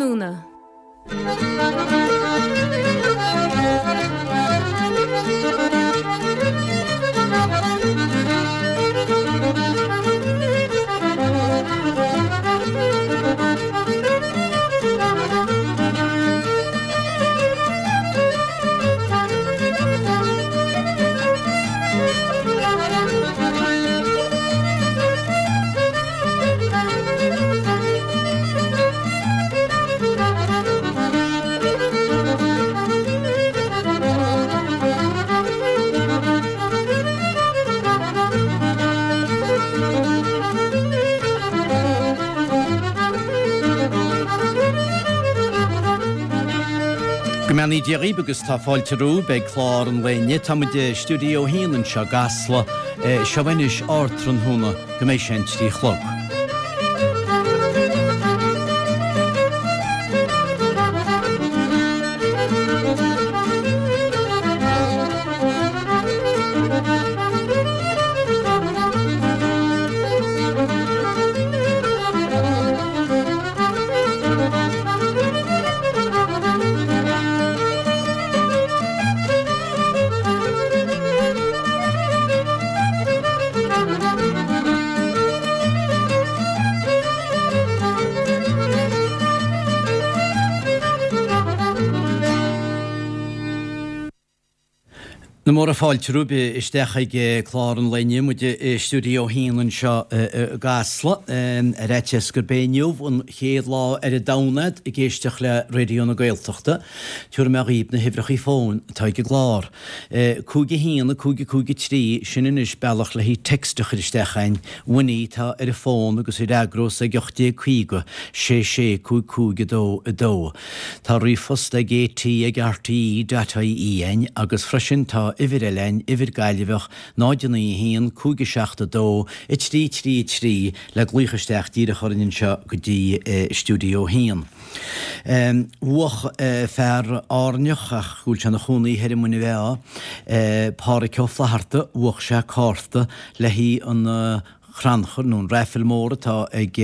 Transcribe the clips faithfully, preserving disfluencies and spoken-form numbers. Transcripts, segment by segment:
Ardtráthnóna. Go mbeannaí Dia dhaoibh agus tá fáilte romhaibh ag clár an lae inniu. Tá muid i Stiúideo a haon anseo i gCasla. Seo anois Ardtráthnóna go mbeidh sé an trí a chlog. Na móra fáilte romhaibh isteach ag clár an lae inniu, muid i Stiúideo a haon anseo i gCasla. Ar fhaitíos gurb é inniu an chéad lá ar an domhan agat ag éisteacht le Raidió na Gaeltachta, tabharfaidh mé dhaoibh na huimhreacha fóin atá ag an gclár. Cúig a haon, a cúig a cúig a trí, sin anois bealach le haghaidh text a chur isteach a'inn. Winnie atá ar an bhfón agus í a fhreagrós ag ocht déag caoga, sé sé, cúig cúig a dó a dó. Tá ríomhphost ag AT ag RTE dot IE a'inn agus freisin tá uimhir eile a'inn, uimhir Gaillimheach, náid a naoi a haon, cúig a seacht a dó, a trí trí a trí le glaoch isteach díreach orainn anseo go dtí Stiúideo a haon. Bhuach fear Áirneach, ach go bhfuil sé ina chónaí thoir i Muine Mheá, Pádhraic Ó Flatharta, bhuach sé cárta le haghaidh an chrannchur nó an raifil mór atá ag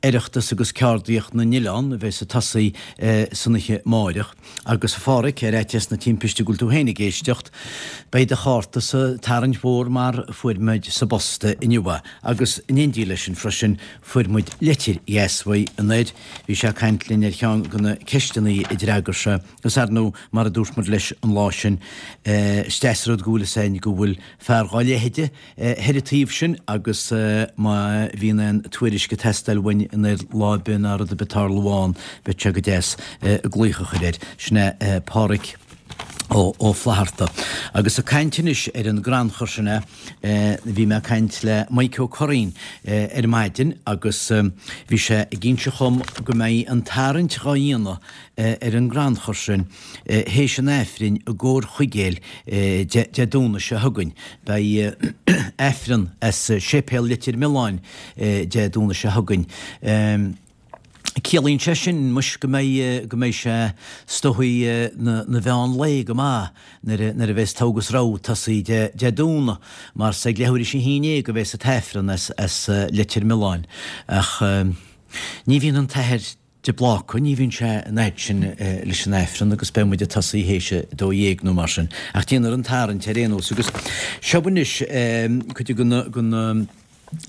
Oireachtas agus Ceardaíocht na nOileán a bheas ag tosaí san oíche amáireach. Agus a Phádhraic, ar fhaitíos na timpiste go bhfuil tú féin ag éisteacht, beidh do chárta sa tarraingt mhór mar fuair muid sa bpost inniu é. Agus in éindí leis sin freisin fuair muid litir dheas uaidh anoir. Bhí sé ag caint linn ar cheann de na ceisteanna a d'fhreagair sé agus ar ndóigh mar a dúirt muid leis an lá sin is deas an rud go bhfuil fhios a'inn go bhfuil fear dhá leithide thoir an taobh sin agus má bhíonn aon tuairisc ag teastáil uainn anoir lá ar bith ná rud ar bith ag tarlú ann beidh sé go deas glaoch a chur air. Sin é Pádhraic Ó Flatharta. Agus ag caint anois ar an gcrannchur sin é, bhí mé ag caint le Mike Ó Curraoin ar maidin agus bhí sé ag inse dhom go mbeidh an tarraingt dhá dhéanamh ar an gcrannchur sin théis an Aifrinn i gCór Chuigéil Dé Domhnaigh seo chugainn. Beidh Aifreann as Séipéal Leitir Mealláin Dé Domhnaigh seo chugainn. Ciallaíonn sé sin, muis, go mbeidh, go mbeidh sé is dóichí na mheán lae go maith nuair a bheas togha agus rogha ag tosaí Dé Domhnaigh, mar is ag leathuair théis a haon déag a bheas an tAifreann as Leitir Mealláin. Ach ní bhíonn an tAthair de Bláca, ní bhíonn sé an fhaid sin leis an Aifreann agus beidh muid ag tosaí théis a dó dhéag nó mar sin. Ach déanfar an tarraingt ar aon nós agus seo anois cuid de na, de na,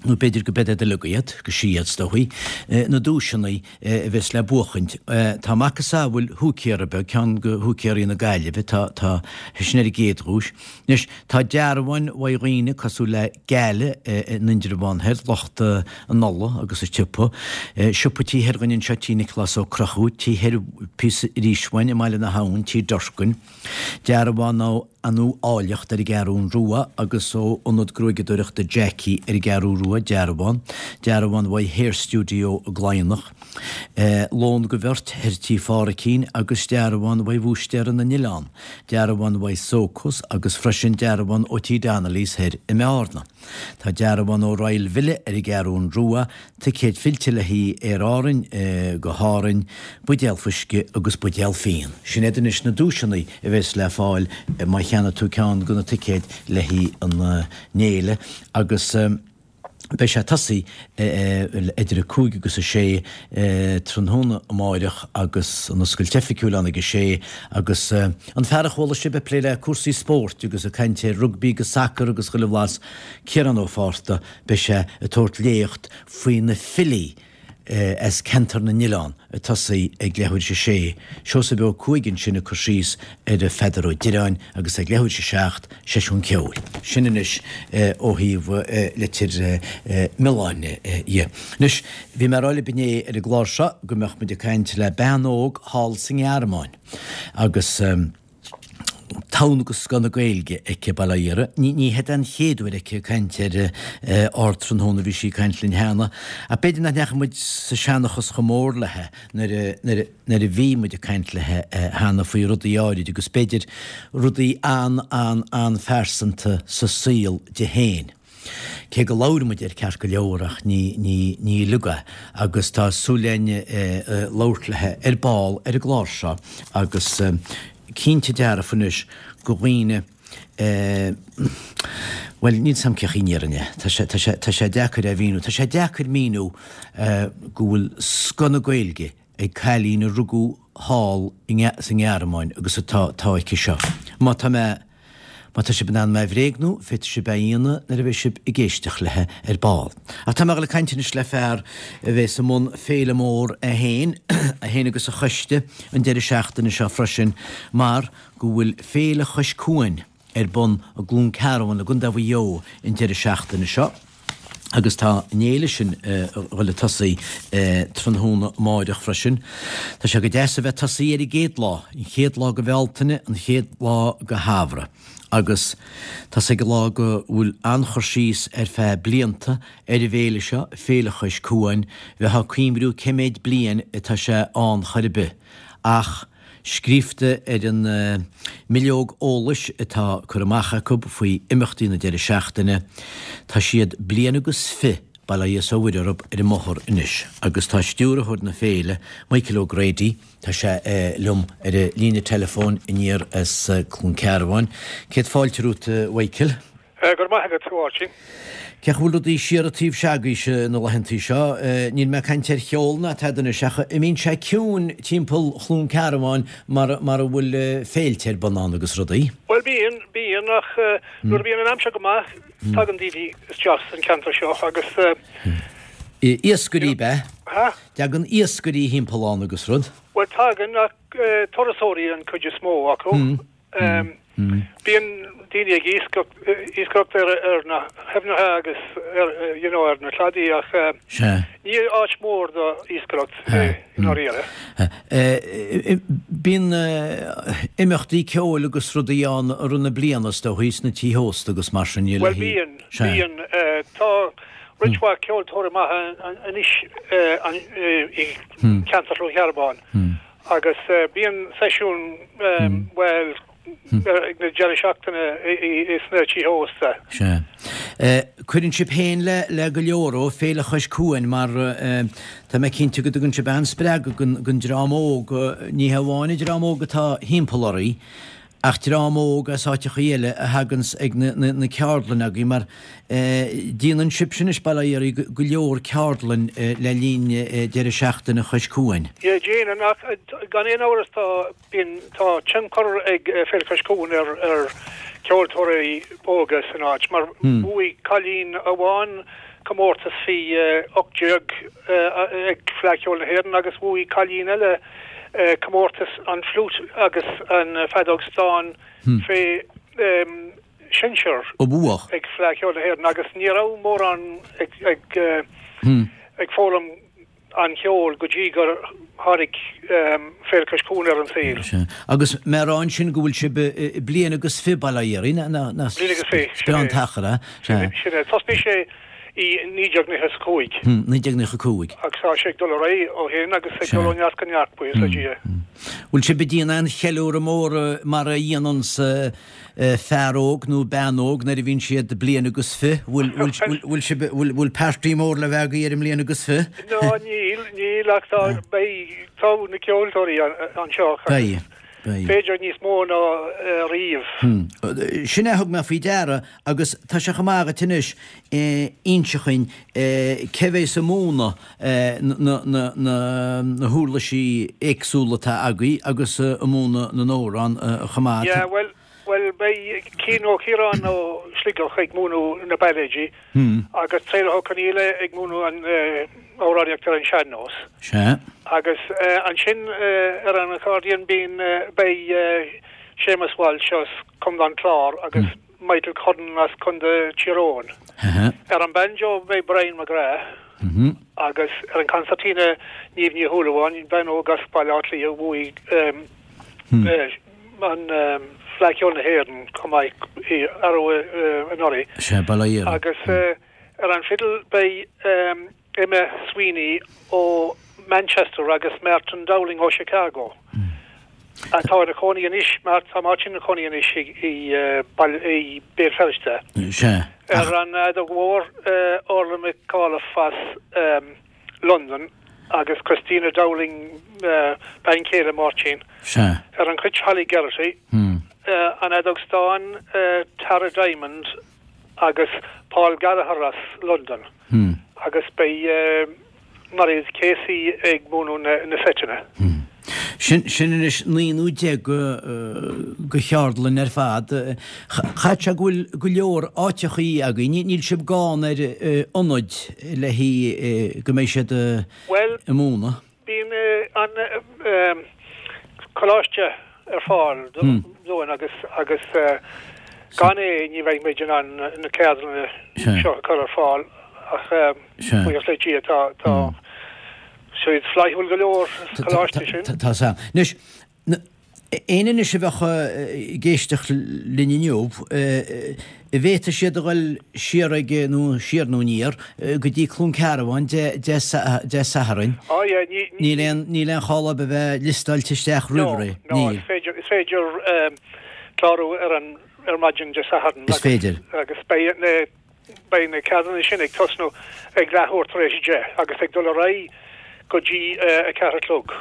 nó b'fhéidir go beid iad uilig iad, go sí iad is dóichí, na duaiseanna a bheas le buachaint. Tá macasamhail húicéara beag, ceann de húicéaraí na Gaillimhe, tá, tá sin ar an gcéad dhuais. Anois, tá dearbháin uaidh dhaoine cosúil le Gala in Indreabhán Thoir, lucht an ola agus an tsiopa, siopa taobh thoir dhúinn anseo, Tí Nioclás Ó Conchúir, taobh thoir píosa arís uainn i mBaile na hAbhann, Tí Durkin, dearbhán ó Anú Áilleacht ar an gCeathrú Rua agus ó Ionad Gruaigeadóireachta Jackie ar an gCeathrú Rua, dearbhán, dearbhán uaidh Hair Studio i gCladhnach. Lón go bheirt thoir Tí Phádhraicín agus dearbhán uaidh Bhúistéara na nOileán, dearbhán uaidh Socos agus freisin dearbhán ó Tí Donnelly's thoir i mBearna. Tá dearbhán ó Royal Villa ar an gCeathrún Rua, ticéad fillte le haghaidh Aer Árainn go hÁrainn, buidéal fuisce agus buidéal fíon. Sin iad anois na duaiseanna a bheas le fáil má cheannaigh tú ceann de na ticéid le haghaidh an fhéile agus. Beidh sé ag tosaí idir a cúig agus a sé tráthnóna amáireach agus an oscailt oifigiúil ann ag a sé agus an fear a chuala sibh ag plé le cúrsaí spóirt agus ag caint ar rugbaí agus sacar agus chuile bhlas, Ciarán Ó Fátharta, beidh sé ag tabhairt léacht faoi na filí as Ceantar na nOileán ag tosaí ag leathuair théis a sé, Seosamh Ó Cuaig ansin ag cur síos ar Pheadar Ó Direáin agus ag leathuair théis a seacht, seisiún ceoil. Sin anois ó thaobh Leitir Mealláin dhe. Anois, bhí mé ag rá libh inné ar an gclár seo go mbeadh muid ag caint le bean óg thall sa nGearmáin agus, Togha agus scoth na Gaeilge aici, bail ó Dhia uirthi. Ní ní heid an chéad uair aici ag caint ar Ardtráthnóna, bhí sí ag caint linn cheana, ach b'fhéidir nach ndeachaigh muid sa seanchas chomh mór léi nuair a nuair a nuair a bhí muid ag caint léi cheana faoi rudaí áirid agus b'fhéidir rudaí an-an-an-phearsanta sa saol di féin. Cé go labhair muid air ceart go leor ach ní, ní, ní uilig é agus tá súil againn labhairt léi ar ball ar an gclár seo agus cinnte dearfa anois go dhaoine bhuel níl 's a'm cén chaoi a ndéarfainn é, tá sé, tá sé, tá sé deacair é a mhíniú, tá sé deacair míniú go bhfuil scoth na Gaeilge ag cailín a rugadh thall sa nGearmáin agus atá, atá aici seo. Má tá mé. Má tá sibh in ann mé a bhréagnú, féadfaidh sibh é a dhéanamh nuair a bheidh sibh ag éisteacht léi ar ball. Ach tá mé ag dul ag caint anois le fear a bheas i mbun féile mór é féin, é féin agus a choiste an deireadh seachtaine seo freisin mar go bhfuil Féile Chois Cuain ar bun i gCluain Cearbán i gContae Mhaigh Eo an deireadh seachtaine seo. Agus tá an fhéile sin ag dul ag tosaí tráthnóna amáireach freisin. Tá sé go deas a bheith ag tosaí ar an gcéad lá, an chéad lá de Bhealtaine, an chéad lá de shamhradh. Agus tá's ag an lá go bhfuil an-chur síos ar feadh blianta ar an bhféile seo, Féile Chois Cuain, bheifeá ag cuimriú cé méid bliain atá sé ann chor ar bith. Ach. Scríobhta ar an mbileog eolais atá curtha amach acu faoi imeachtaí na deireadh seachtaine, tá siad bliain agus fiche, bail ó Dhia is ó Mhuire orthu, ar an mbóthar anois agus tá stiúrthóir na féile, Michael O'Grady, tá sé liom ar an líne teileafóin aniar as Cluain Cearbháin. Céad fáilte romhat, a Mhichael. Go raibh maith agat, a Mháirtín. Cén chaoi a bhfuil rudaí siar an taobh se'agaibhse na laethantaí seo? Níl mé ag caint ar cheol ná tada anois ach an mbíonn sé ciúin timpeall Chluain Cearbháin mar mar a bhfuil féilte ar bun ann agus rudaí? Bhuel bíonn, bíonn ach nuair a bhíonn an aimsir go maith tagann daoine isteach san ceantar seo agus. Iascairí ab ea? Dtagann iascairí thimpeall ann agus rud? Bhuel tagann ach turasóirí an chuid is mó acu. Bíonn daoine ag iascaireacht ar na haibhneacha agus you know ar na cladaí ach ní áit mhór do iascaireacht é i ndáiríre. Bíonn imeachtaí ceoil agus rudaí ann i rith na bliana is dóigh, sna tithe ósta agus mar sin. Bhuel bíonn, bíonn. Tá roinnt mhaith ceoltóirí maithe anois i gceantar Chluain Cearbán. Agus bíonn seisiún, bhuel, ag na deireadh seachtaine sna tithe ósta. Sea. Cuireann sibh féin le go leor ó Féile Chois Cuain mar tá mé cinnte go dtugann sibh an-spreagadh don dream óg, ní hamháin an dream óg atá thimpeall oraibh, Ach dream óg as áiteachaí eile a thaganns ag na ceardlanna agaibh mar déanann sibhse anois, bail ó Dhia oraibh, go leor ceardlann le linn deireadh seachtaine Chois Cuain. Yeah, déanann, ach gan aon amhras tá, bíonn, tá tionchar ag Féile Chois Cuain ar, ar cheoltóirí óga san áit mar bhuaigh cailín amháin comórtas faoi ocht déag ag Fleadh Cheoil na hÉireann agus bhuaigh cailín eile comórtas an fliúit agus an feadóg stáin fé sinsear ag Fleadh Cheoil na hÉireann agus ní raibh mórán ag foghlaim an cheoil go dtí gur tháinig Féile Cois Cuain ar an saol. Agus mé a rá ansin go bhfuil sibh bliain agus fiche, bail ó Dhia oraibh, Bliain agus fiche, sin é. An t-achar, eh? Sin é. Thosnaigh sé i naoi déag nócha is a cúig. naoi déag nócha a cúig. Agus tá sé ag dul ar aghaidh ó shin agus ag dul ó neart go neart, buíochas le Dia. Bhfuil sibh ag déanamh aon cheiliúradh mór mar a dhéananns fear óg nó bean óg nuair a bhíonn siad bliain agus fiche? Bhfuil, bhfuil, bhfuil sibh, bhfuil, bhfuil party mór le bheith agaibh ar an mbliain agus fiche? No, níl, níl ach tá, beidh, tá na ceoltóirí anseo. Beidh. B'fhéidir níos mó ná riamh. Sin é a thug mé faoi deara agus tá sé chomh maith agat anois inse chugainn cé bhéas ag múineadh na huirlisí éagsúla atá agaibh agus ag múineadh na n-amhrán chomh maith. Yeah, bhuel, bhuel beidh Cian Ó Ciaráin ó Sligeach ag múineadh na bailéidí agus Traolach Ó Conghaile ag múineadh an amhránaíocht ar an sean-nós. Sea. Agus ansin ar an accordion bíonn, beidh Séamus Walsh as Contae an Chláir agus Michael Cullen as Contae Thír Eoghain. Ar an banjo beidh Brian McGrath agus ar an concertina Niamh Ní Shúilleabháin, bean óg as Baile Átha Cliath a bhuaigh an Fleadh Cheoil na hÉireann chomh maith arú anuraidh. Sea, bail ó Dhia uirthi. Agus ar an fidil beidh Emma Sweeney ó Manchester agus Martin Dowling ó Chicago, atá ina chónaí anois, tá Martin ina chónaí anois i i Béal Feirste. Sea. Ar an fheadóg mhór, Orla McAuliffe as Londain agus Christina Dowling, bean chéile Mháirtín. Sea. Ar an chruit, Holly Geraghty. An fheadóg stáin, Tara Diamond agus Paul Gallagher as Londain agus beidh Mairéad Casey ag múineadh na seiteanna. Sin sin anois naoi nó deich de cheardlann ar fad. Chaithfeadh sé go bhfuil go leor áiteachaí agaibh. Níl sibh gann ar ionaid le haghaidh go mbeidh siad ag múineadh? Bíonn an coláiste ar fáil dúinn agus agus gan é ní bheidh muid in ann na ceardlanna seo a chur ar fáil ach buíochas le Dia tá tá siad flaithiúil go leor sa choláiste sin. Tá a fhios agam. Anois, éinne anois a bheadh ag éisteacht linn inniu, an bhféadfadh siad a dhul siar ag, nó siar nó aniar, go dtí Cluain Cearbán Dé Sathairn. Á yeah, ní. Níl aon, níl aon chall orthu a bheith liostáilte isteach roimh ré. No, no, is féidir, is féidir clárú ar an, ar maidin Dé Sathairn. Is féidir. Agus beidh na, beidh na ceardlanna sin ag tosnú ag leathuair tar éis a deich agus ag dul ar aghaidh go dtí a ceathair a chlog.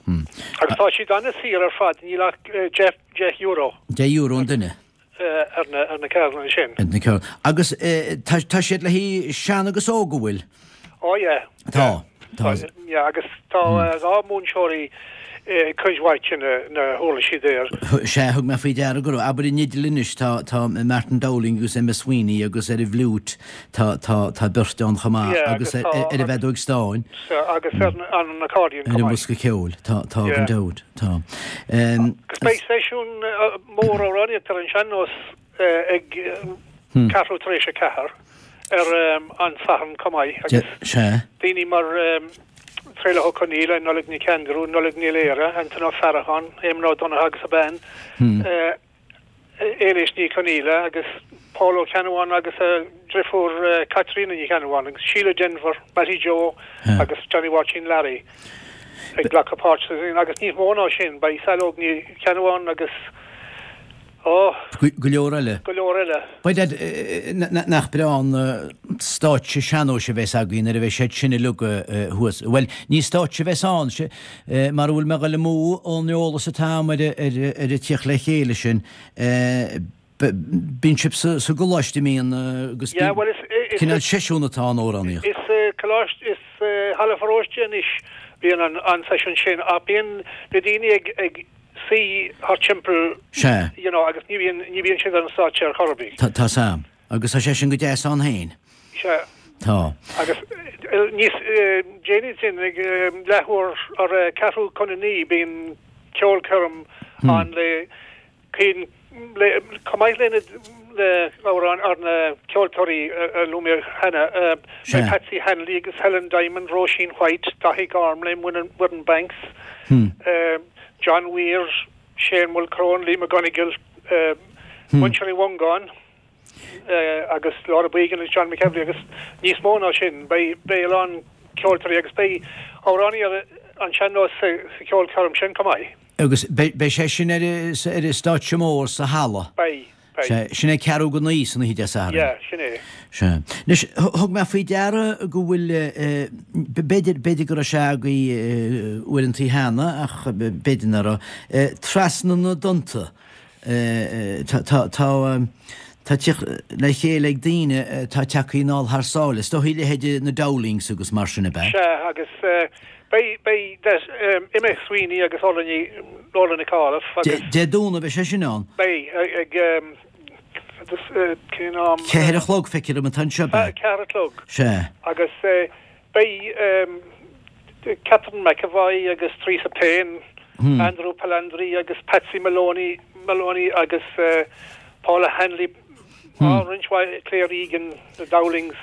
Agus tá siad an-saor ar fad, níl ach deich, deich euro. Deich euro an duine. Ar na, ar na ceardlanna sin. Ar na ceardlanna. Agus tá, tá siad le haghaidh sean agus óg, an bhfuil? Ó yeah. Tá, tá. Yeah, agus tá dhá múinteoirí cuid mhaith de na, na huirlisí there. Sea, thug mé faoi deara go raibh, abair an fhidil anois, tá, tá Martin Dowling agus Emma Sweeney agus ar an bhfliúit tá, tá, tá beirt ann chomh maith Yeah, agus agus ar, tá ar an bhfeadóg stáin. Sea, agus ar an, an accordion Ar chomh an maith. mbosca ceoil, tá, tá Yeah. gan dabht, tá. Um, Agus beidh seisiún eh, mór amhránaíocht ar an sean-nós eh, ag eh, ceathrú tar éis a ceathair ar em, an Satharn chomh maith de, agus sea, daoine mar em, Traolach Ó Conghaile, Nollaig Nic Aindriú, Nollaig Ní Laoire, Antain Ó Faracháin, Éamonn Ó Donnchadha agus a bean, Éilís Ní Chonghaile agus Paul Ó Ceannabháin agus a driofúr Caitríona Ní Cheannabháin agus Síle Denvir, Mattie Joe agus Johnny Mháirtín Larry ag glacadh páirt sa agus níos mó ná sin, beidh Saileog Ní Cheannabháin agus Ó. Go leor eile. Go leor eile. By dad, nach breá an stáitse sean-nóis a bheas againn nuair a bheidh siad sin uilig thuas. Bhuel, ní stáitse a bheas ann, mara bhfuil mé ag dul amú ón eolas atá agam ar an tíocht le chéile sin, bíonn sibh sa gcoláiste mbíonn agus cineál seisiún atá ann amhránaíocht. Is coláiste, is halla pharóiste anois bíonn an seisiún sin ach bíonn na daoine ag suí thart timpeall, Sea. you know, agus ní bhíonn, ní bhíonn siad ar an stáitse ar chor ar bith. Tá, tá 's a'm. Agus tá sé sin go deas ann féin. Sea. Tá. Agus níos déanaí sin, ag leathuair ar ceathrú chun a naoi, bíonn ceolchoirm ann le Cian, le, chomh maith le na, le amhráin ar na ceoltóirí a luaigh mé cheana, beidh Patsy Hanley agus Helen Diamond, Róisín White, Daithí Gormley, Muireann Banks, John Weir, Shane Mulchrone, Lee McGonigle, Muintir Uí Mhongáin agus Laura Beagan agus John McEvilly agus níos mó ná sin. Beidh a lán ceoltóirí agus beidh amhránaí ar an sean-nós sa cheolchoirm sin chomh maith. Agus beidh sé sin ar an stáitse mór sa halla? Beidh. Sea, sin é ceathrú go naoi san oíche Dé Sathairn. Yeah, sin é. Sea. Anois, thug mé faoi deara go bhfuil, b'fhéidir, b'fhéidir go raibh sé agaibh uaireantaí cheana ach b'fhéidir nach raibh, Trasna na dTonnta. Tá, tá, tá, tá teacht le chéile ag daoine atá tagtha anall thar sáile. Is dóichí leithéidí na Dowlings agus mar sin, ab ea? Sea, agus beidh, beidh Emma Sweeney agus Orla Ní, Orla Nic Amhlaoibh agus. Dé Domhnaigh beidh sé sin ann? Beidh, ag, cén am? Ceathair a chlog, feictear dom atá anseo, ab ea? Ceathair a chlog. Sea. Agus beidh Catherine McEvoy agus Theresa Payne, Andrew Palandri agus Patsy Maloney, Maloney agus Paula Hanley, á roinnt mhaith, Claire Egan, the Dowlings,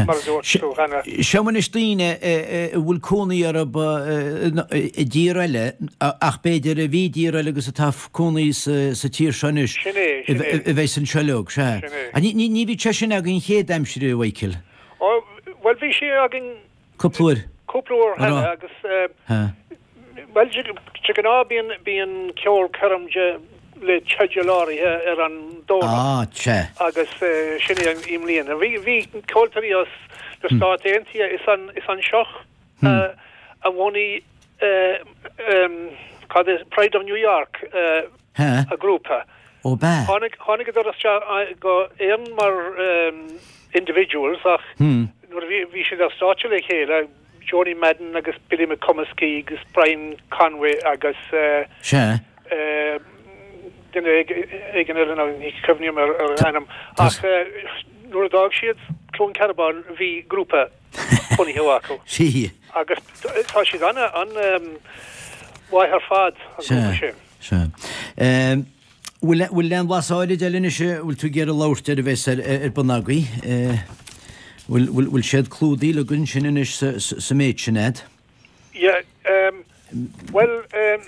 mar a dúirt tú cheana. Seo anois daoine a bhfuil cónaí orthu i dtír eile ach b'fhéidir a bhí i dtír eile agus atá cónaí sa tír seo anois. Sin é, sin é. A bheas anseo leo, sea. Sin é. Ní bhíodh sé sin againn chéad aimsir, a Mhichael? Ó, bhuel bhí sé againn. Cúpla uair. Cúpla uair cheana agus, bhuel, de ghnáth bíonn, bíonn ceolchoirm de, le teideal áirithe ar an Domhnach. Ah, sea. Agus sin é i mbliana. Bhí, bhí ceoltóirí as na Stáit Aontaithe, is an, is anseo a bhunaigh, cad é, Pride of New York, a grúpa. Ó b'ea? Tháinig, tháinigeadar isteach go hÉirinn mar individuals ach nuair a bhí, bhí siad ar stáitse le chéile, Joanie Madden agus Billy McComiskey agus Brian Conway agus Sea. duine éigin eile ná ní chuimhním ar a ainm ach nuair a d'fhág siad Cluain Cearbán bhí grúpa bunaithe acu. Sea. Agus tá siad ana, an-mhaith ar fad, an grúpa sin. Sea. Bhfuil, bhfuil aon bhlas áirid eile anois a bhfuil tú ag iarraidh labhairt air a bheas ar, ar bun agaibh? Bhfuil, bhfuil, bhfuil siad clúdaithe againn sin anois sa, sa méid sin a'd? Yeah, um, bhuel, um,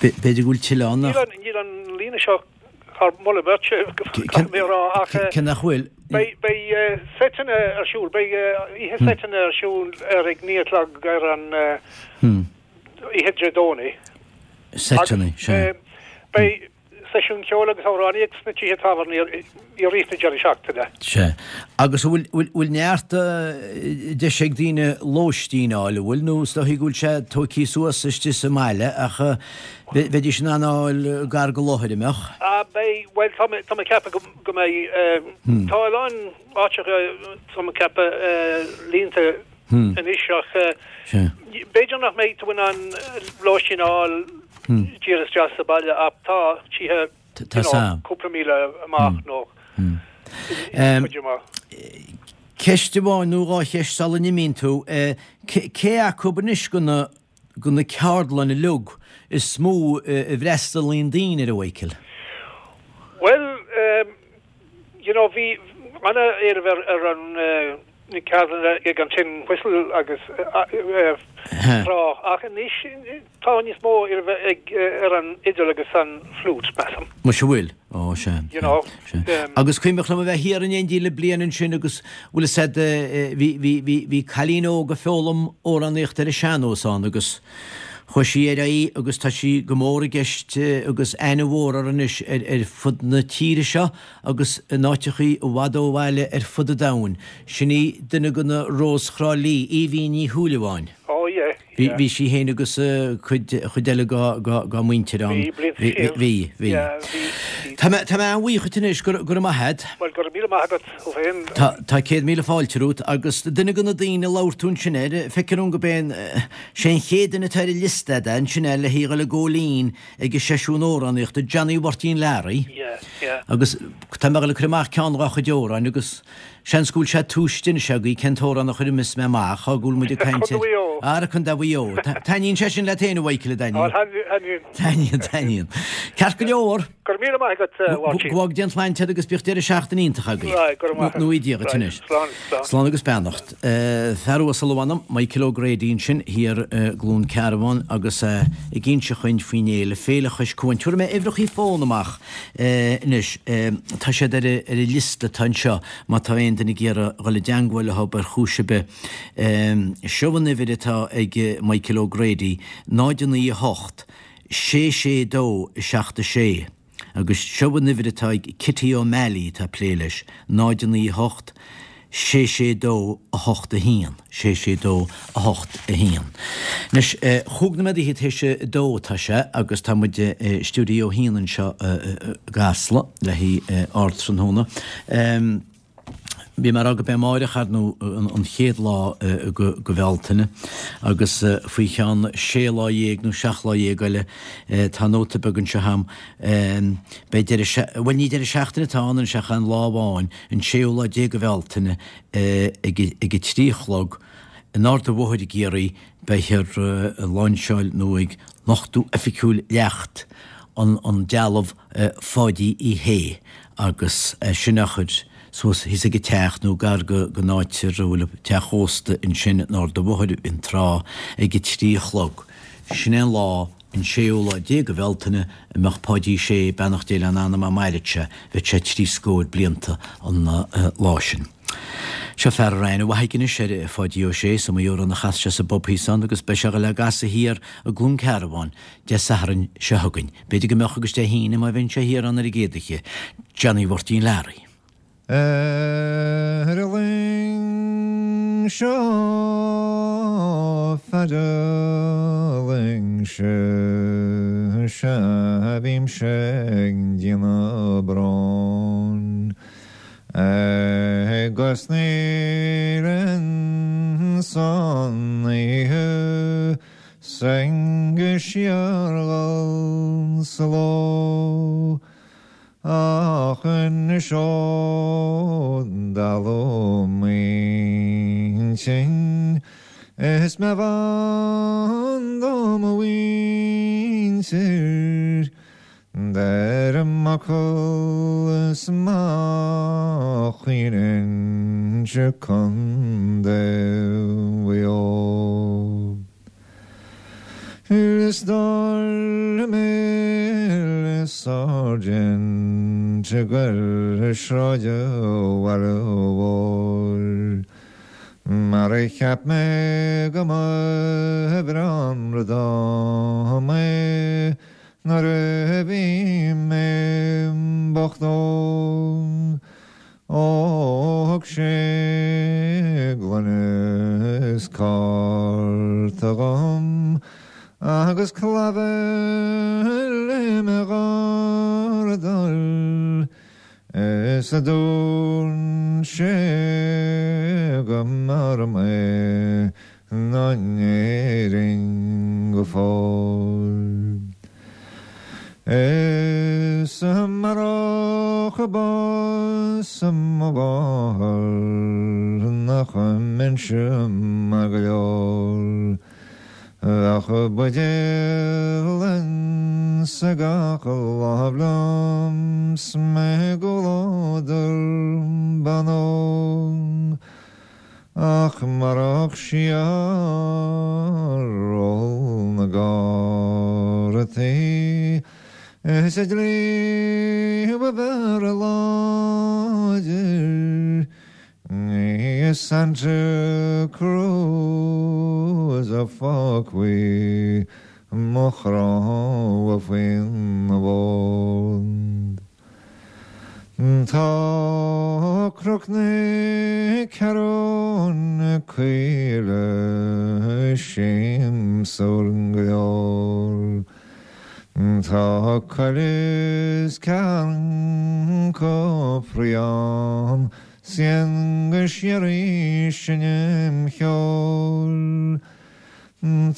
B'fhéidir go bhfuil tuilleadh ann nach. Níl an, níl an líne seo thar moladh beirte, caithfidh mé a rá, ach. Cé nach bhfuil? Beidh, beidh seiteanna ar siúl, beidh oíche seiteanna ar siúl ar ag naoi a chlog ar an oíche Dé Domhnaigh. Seiteanna, sea. Beidh seisiún ceoil agus amhránaíocht sna tithe tábhairne i rith na deireadh seachtaine. Sea. Agus an bhfuil, bhfuil neart deis ag daoine lóistín a fháil, an bhfuil? Nó is dóichí go bhfuil sé tóigthe suas istigh sa mbaile ach bheidís in ann a fháil gar go láthair, an mbeadh? Ah, beidh, bhuel, tá mé, tá mé ag ceapadh go, go mbeidh, tá a lán áiteacha, tá mé ag ceapadh, líonta anois ach b'fhéidir nach mbeidh tú in ann lóistín a fháil díreach isteach sa bhaile ach tá tithe you know, cúpla míle amach nó cuid amach. Ceist amháin nó dhá cheist sula n-imíonn tú. Cé acu anois de na de na ceardlanna uilig is mó a bhfreastalaíonn daoine air, a Mhichael? Bhuel, you know, bhí ana-éileamh ar ar an na ceardlanna ag an Tin Whistle agus tráth ach anois tá níos mó éilimh ag ar an fhidil agus an fliúit, measaim. Muise bhfuil? Ó, sea. You know. Sea. Agus cuimhneach liom a bheith thiar in éindí le bliain ansin agus bhfuil fhios a'd bhí bhí bhí bhí cailín óg ag foghlaim amhránaíocht ar an sean-nós ann agus chuaigh sí ar aghaidh agus tá sí go mór i gceist agus aithne mhór uirthi anois ar ar fud na tíre seo agus in áiteachaí i bhfad ó bhaile ar fud an domhain. Sin í duine de na Rós Thrá Lí, Aoibhín Ní Shúilleabháin. Oh yeah, Bhí, yeah. bhí sí féin agus cuid, chuid eile dá, dá, dá muintir ann. Bhí, blianta siar. Bhí, bhí. Yeah, bhí, bhí. Tá mé, tá mé an-bhuíoch dhuit anois, go, go raibh maith a'd. Bhuel, go raibh míle maith agat thú féin. Tá, tá céad míle fáilte romhat agus duine de na daoine a labhair tú ansin air, feictear dom go b'é an, sé an chéad duine atá ar an liosta a'd ansin é le haghaidh a dhul ag gabháil fhoinn ag an seisiún amhránaíochta, Johnny Mháirtín Learaí. Yeah, yeah. Agus tá mé ag dul ag cur amach ceann dhá chuid amhráin agus seans go bhfuil sé tomhaiste anois agaibh cén t-amhrán a chuirfeas mé amach, á go bhfuil muid ag caint Contae ar. Mhaigh Eo. Ara Contae Mhaigh Eo. Taitníonn sé sin leat féin, a Mhichael, a Á, dtaitníonn? taitníonn. Taitníonn, taitníonn. Ceart go leor. Go raibh míle maith agat, a Mháirtín. Go bhfága Dia an tsláinte agat agus bíodh deireadh seachtaine iontach agaibh. Right, go raibh maith agat. Nó Dia dhuit Right, anois. slán, slán. Slán agus beannacht. Fear uasal a mh'anam, Michael O'Grady ansin thiar i gCluain Cearbán agus é ag inse chugainn faoin fhéile, Féile Chois Cuain. Tabharfaidh mé uimhreachaí fóin amach anois. Tá siad ar an liosta atá anseo má tá aon duine ag iarraidh dhul i dteangmháil leo ar chúis ar bith. Seo an uimhir atá ag Michael O'Grady, náid a naoi a hocht, sé sé dó, seacht a sé Agus seo an uimhir atá ag Kitty O'Malley atá ag plé leis, náid a naoi a hocht, sé sé dó a hocht a haon, sé sé dó a hocht a haon. Anois, chúig nóiméad fhichead théis a dó atá sé agus tá muid i stiúideo a haon anseo i gCasla le haghaidh Ardtráthnóna. Bhí mé ag rá gurb é amáireach, ar ndóigh, an chéad lá de Bhealtaine agus faoi cheann sé lá dhéag nó seacht lá dhéag eile, tá nóta beag anseo agam, beidh deireadh, bhuel ní deireadh seachtaine atá ann anois ach aon lá amháin, an séú lá déag de Bhealtaine ag a trí a chlog in Ard an Bhóthair i gCiarraí beifear ag lainseáil nó ag nochtadh oifigiúil leacht an dealbh Pháidí Uí Shé agus é sin á chur suas thíos ag an teach nó gar don áit a bhfuil an teach ósta ansin in Ard an Bhóthair an Trá ag a trí a chlog. Sin é an lá, an séú lá déag de Bhealtaine, a mbeadh Páidí Sé, beannacht Dé lena anam, dá mairfeadh sé, bheadh sé trí scór blianta an lá sin. Seo fear a raibh aithne mhaith aige anois ar Pháidí Ó Sé, is iomaí amhrán a chas sé sa bpub thíos ann agus beidh sé a dhul á gcasadh thiar i gCluain Cearbán Dé Sathairn seo chugainn. B'fhéidir go mbeadh agus Dé hAoine má bhíonn sé thiar ann ar an gcéad oíche. Johnny Mháirtín Learaí. Ar an luing seo fada luing seo sea bímse ag déanamh bróin agus níl insan oíche 's ag síorghol sa ló. Ach anois ó dalladh m'intinn is mé b'ann do mo mhuintir, deirim m'fhocal is má chaoininnse Contae Mhaigh Eo. Liostáil mé le sáirsint ag goil sráid an bhaile mhóir Mar a cheap mé go mba bhreá an rud dom é nuair a bhí mé bocht óg. Ó thug sé gloine is cárta dhom agus clabhar le mo dhardal is a dúirt sé go mb'fhearr mé ná in Éirinn go fóill. Is amárach bás mo mháthar nach mbeinnse maith go leor Bheadh buidéal insa gach lámh liom 's mé i gcomhluadar ban óg Ach marach siar ól na gcártaí Is an dlí ba bhfearr láidir Ní i Santa Cruz a fágfaí mo chrann faoina bhord. Tá Cnoc na Ceathrún Caoile siamsúil go leor. Tá coill is carn copra ann 's a dhéan go síoraí sinn im cheol.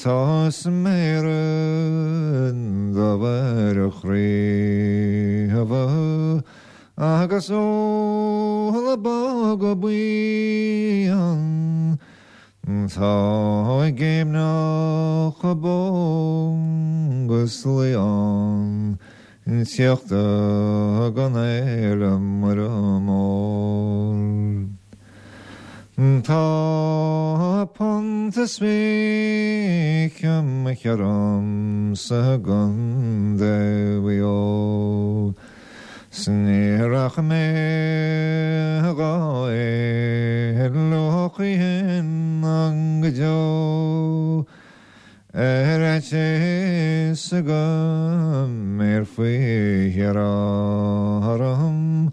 Tá sméara do chraobha agus ó bog buí ann. Tá géimneach bó gus leon teachta gan éile mar mór. Tá punt is fiche mo cheann sa gContae Mhaigh Eo. 'S ní rachaidh mé dhá éaló choíchin go deo. Ar fhaitíos go mbéarfaí thiar orm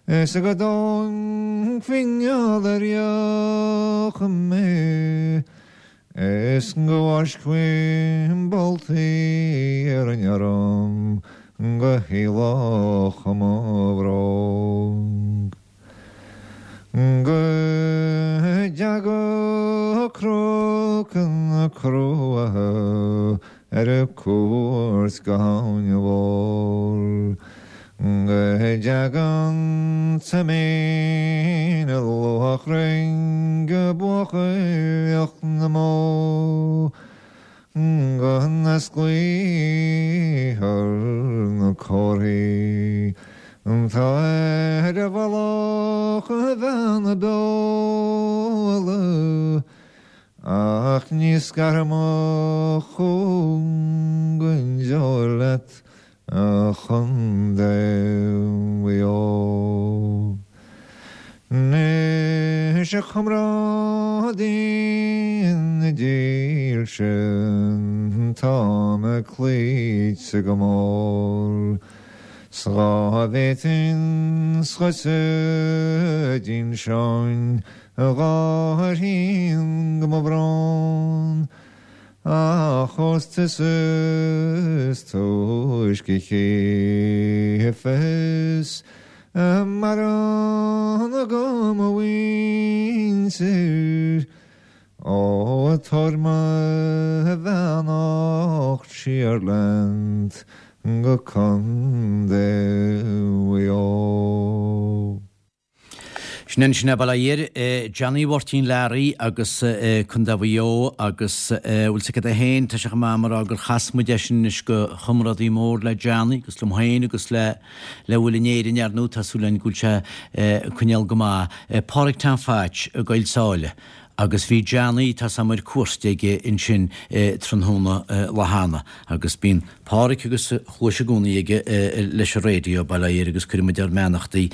Is go dtógfaí ar eoch mé Is go bhfáiscfí boltaí ar an arm Go haoileach mo bhróg. Go dteaga Cnoc na Cruacha ar cuairt go hAbhainn an Mhóir. Go dteaga an tSaiméin i luachrainn go buachailleacht na mbó. Go n-osclaíthear na comharthaí Tá ar a bhealach a bhean na beola Ach ní scarfaidh mo chúng go deo leat a Chontae Mhaigh Eo. Anois a chomrádaí dílse tá mé cloíte go mór 'S dhá bhféadfainn scoite d'inseoinn dhá thrian de mo bhrón Ach ós tusa is túisce a chífeas a mbarán agam mo mhuintir Ó tabhair mo bheannacht siar leat go Contae Mhaigh Eo. Sin ansin bail ó Dhia air, Johnny Mháirtín Learaí agus Contae Mhaigh Eo agus bhfuil 's agat é féin, tá sé chomh maith mar gur chas muid eisean anois go chomrádaí mór le Johnny agus liom féin agus le le bhfuil in Éirinn ar ndóigh tá súil againn go bhfuil sé ag coinneáil go maith. Pádraig Tom Phatch i gCoill Sáile. Agus bhí Johnny, tá 's a'm ar cuairt aige ansin tráthnóna lá cheana agus bíonn Páraic agus a chluais i gcónaí aige leis an raidió, bail ó Dhia air agus cuireann muid ár mbeannachtaí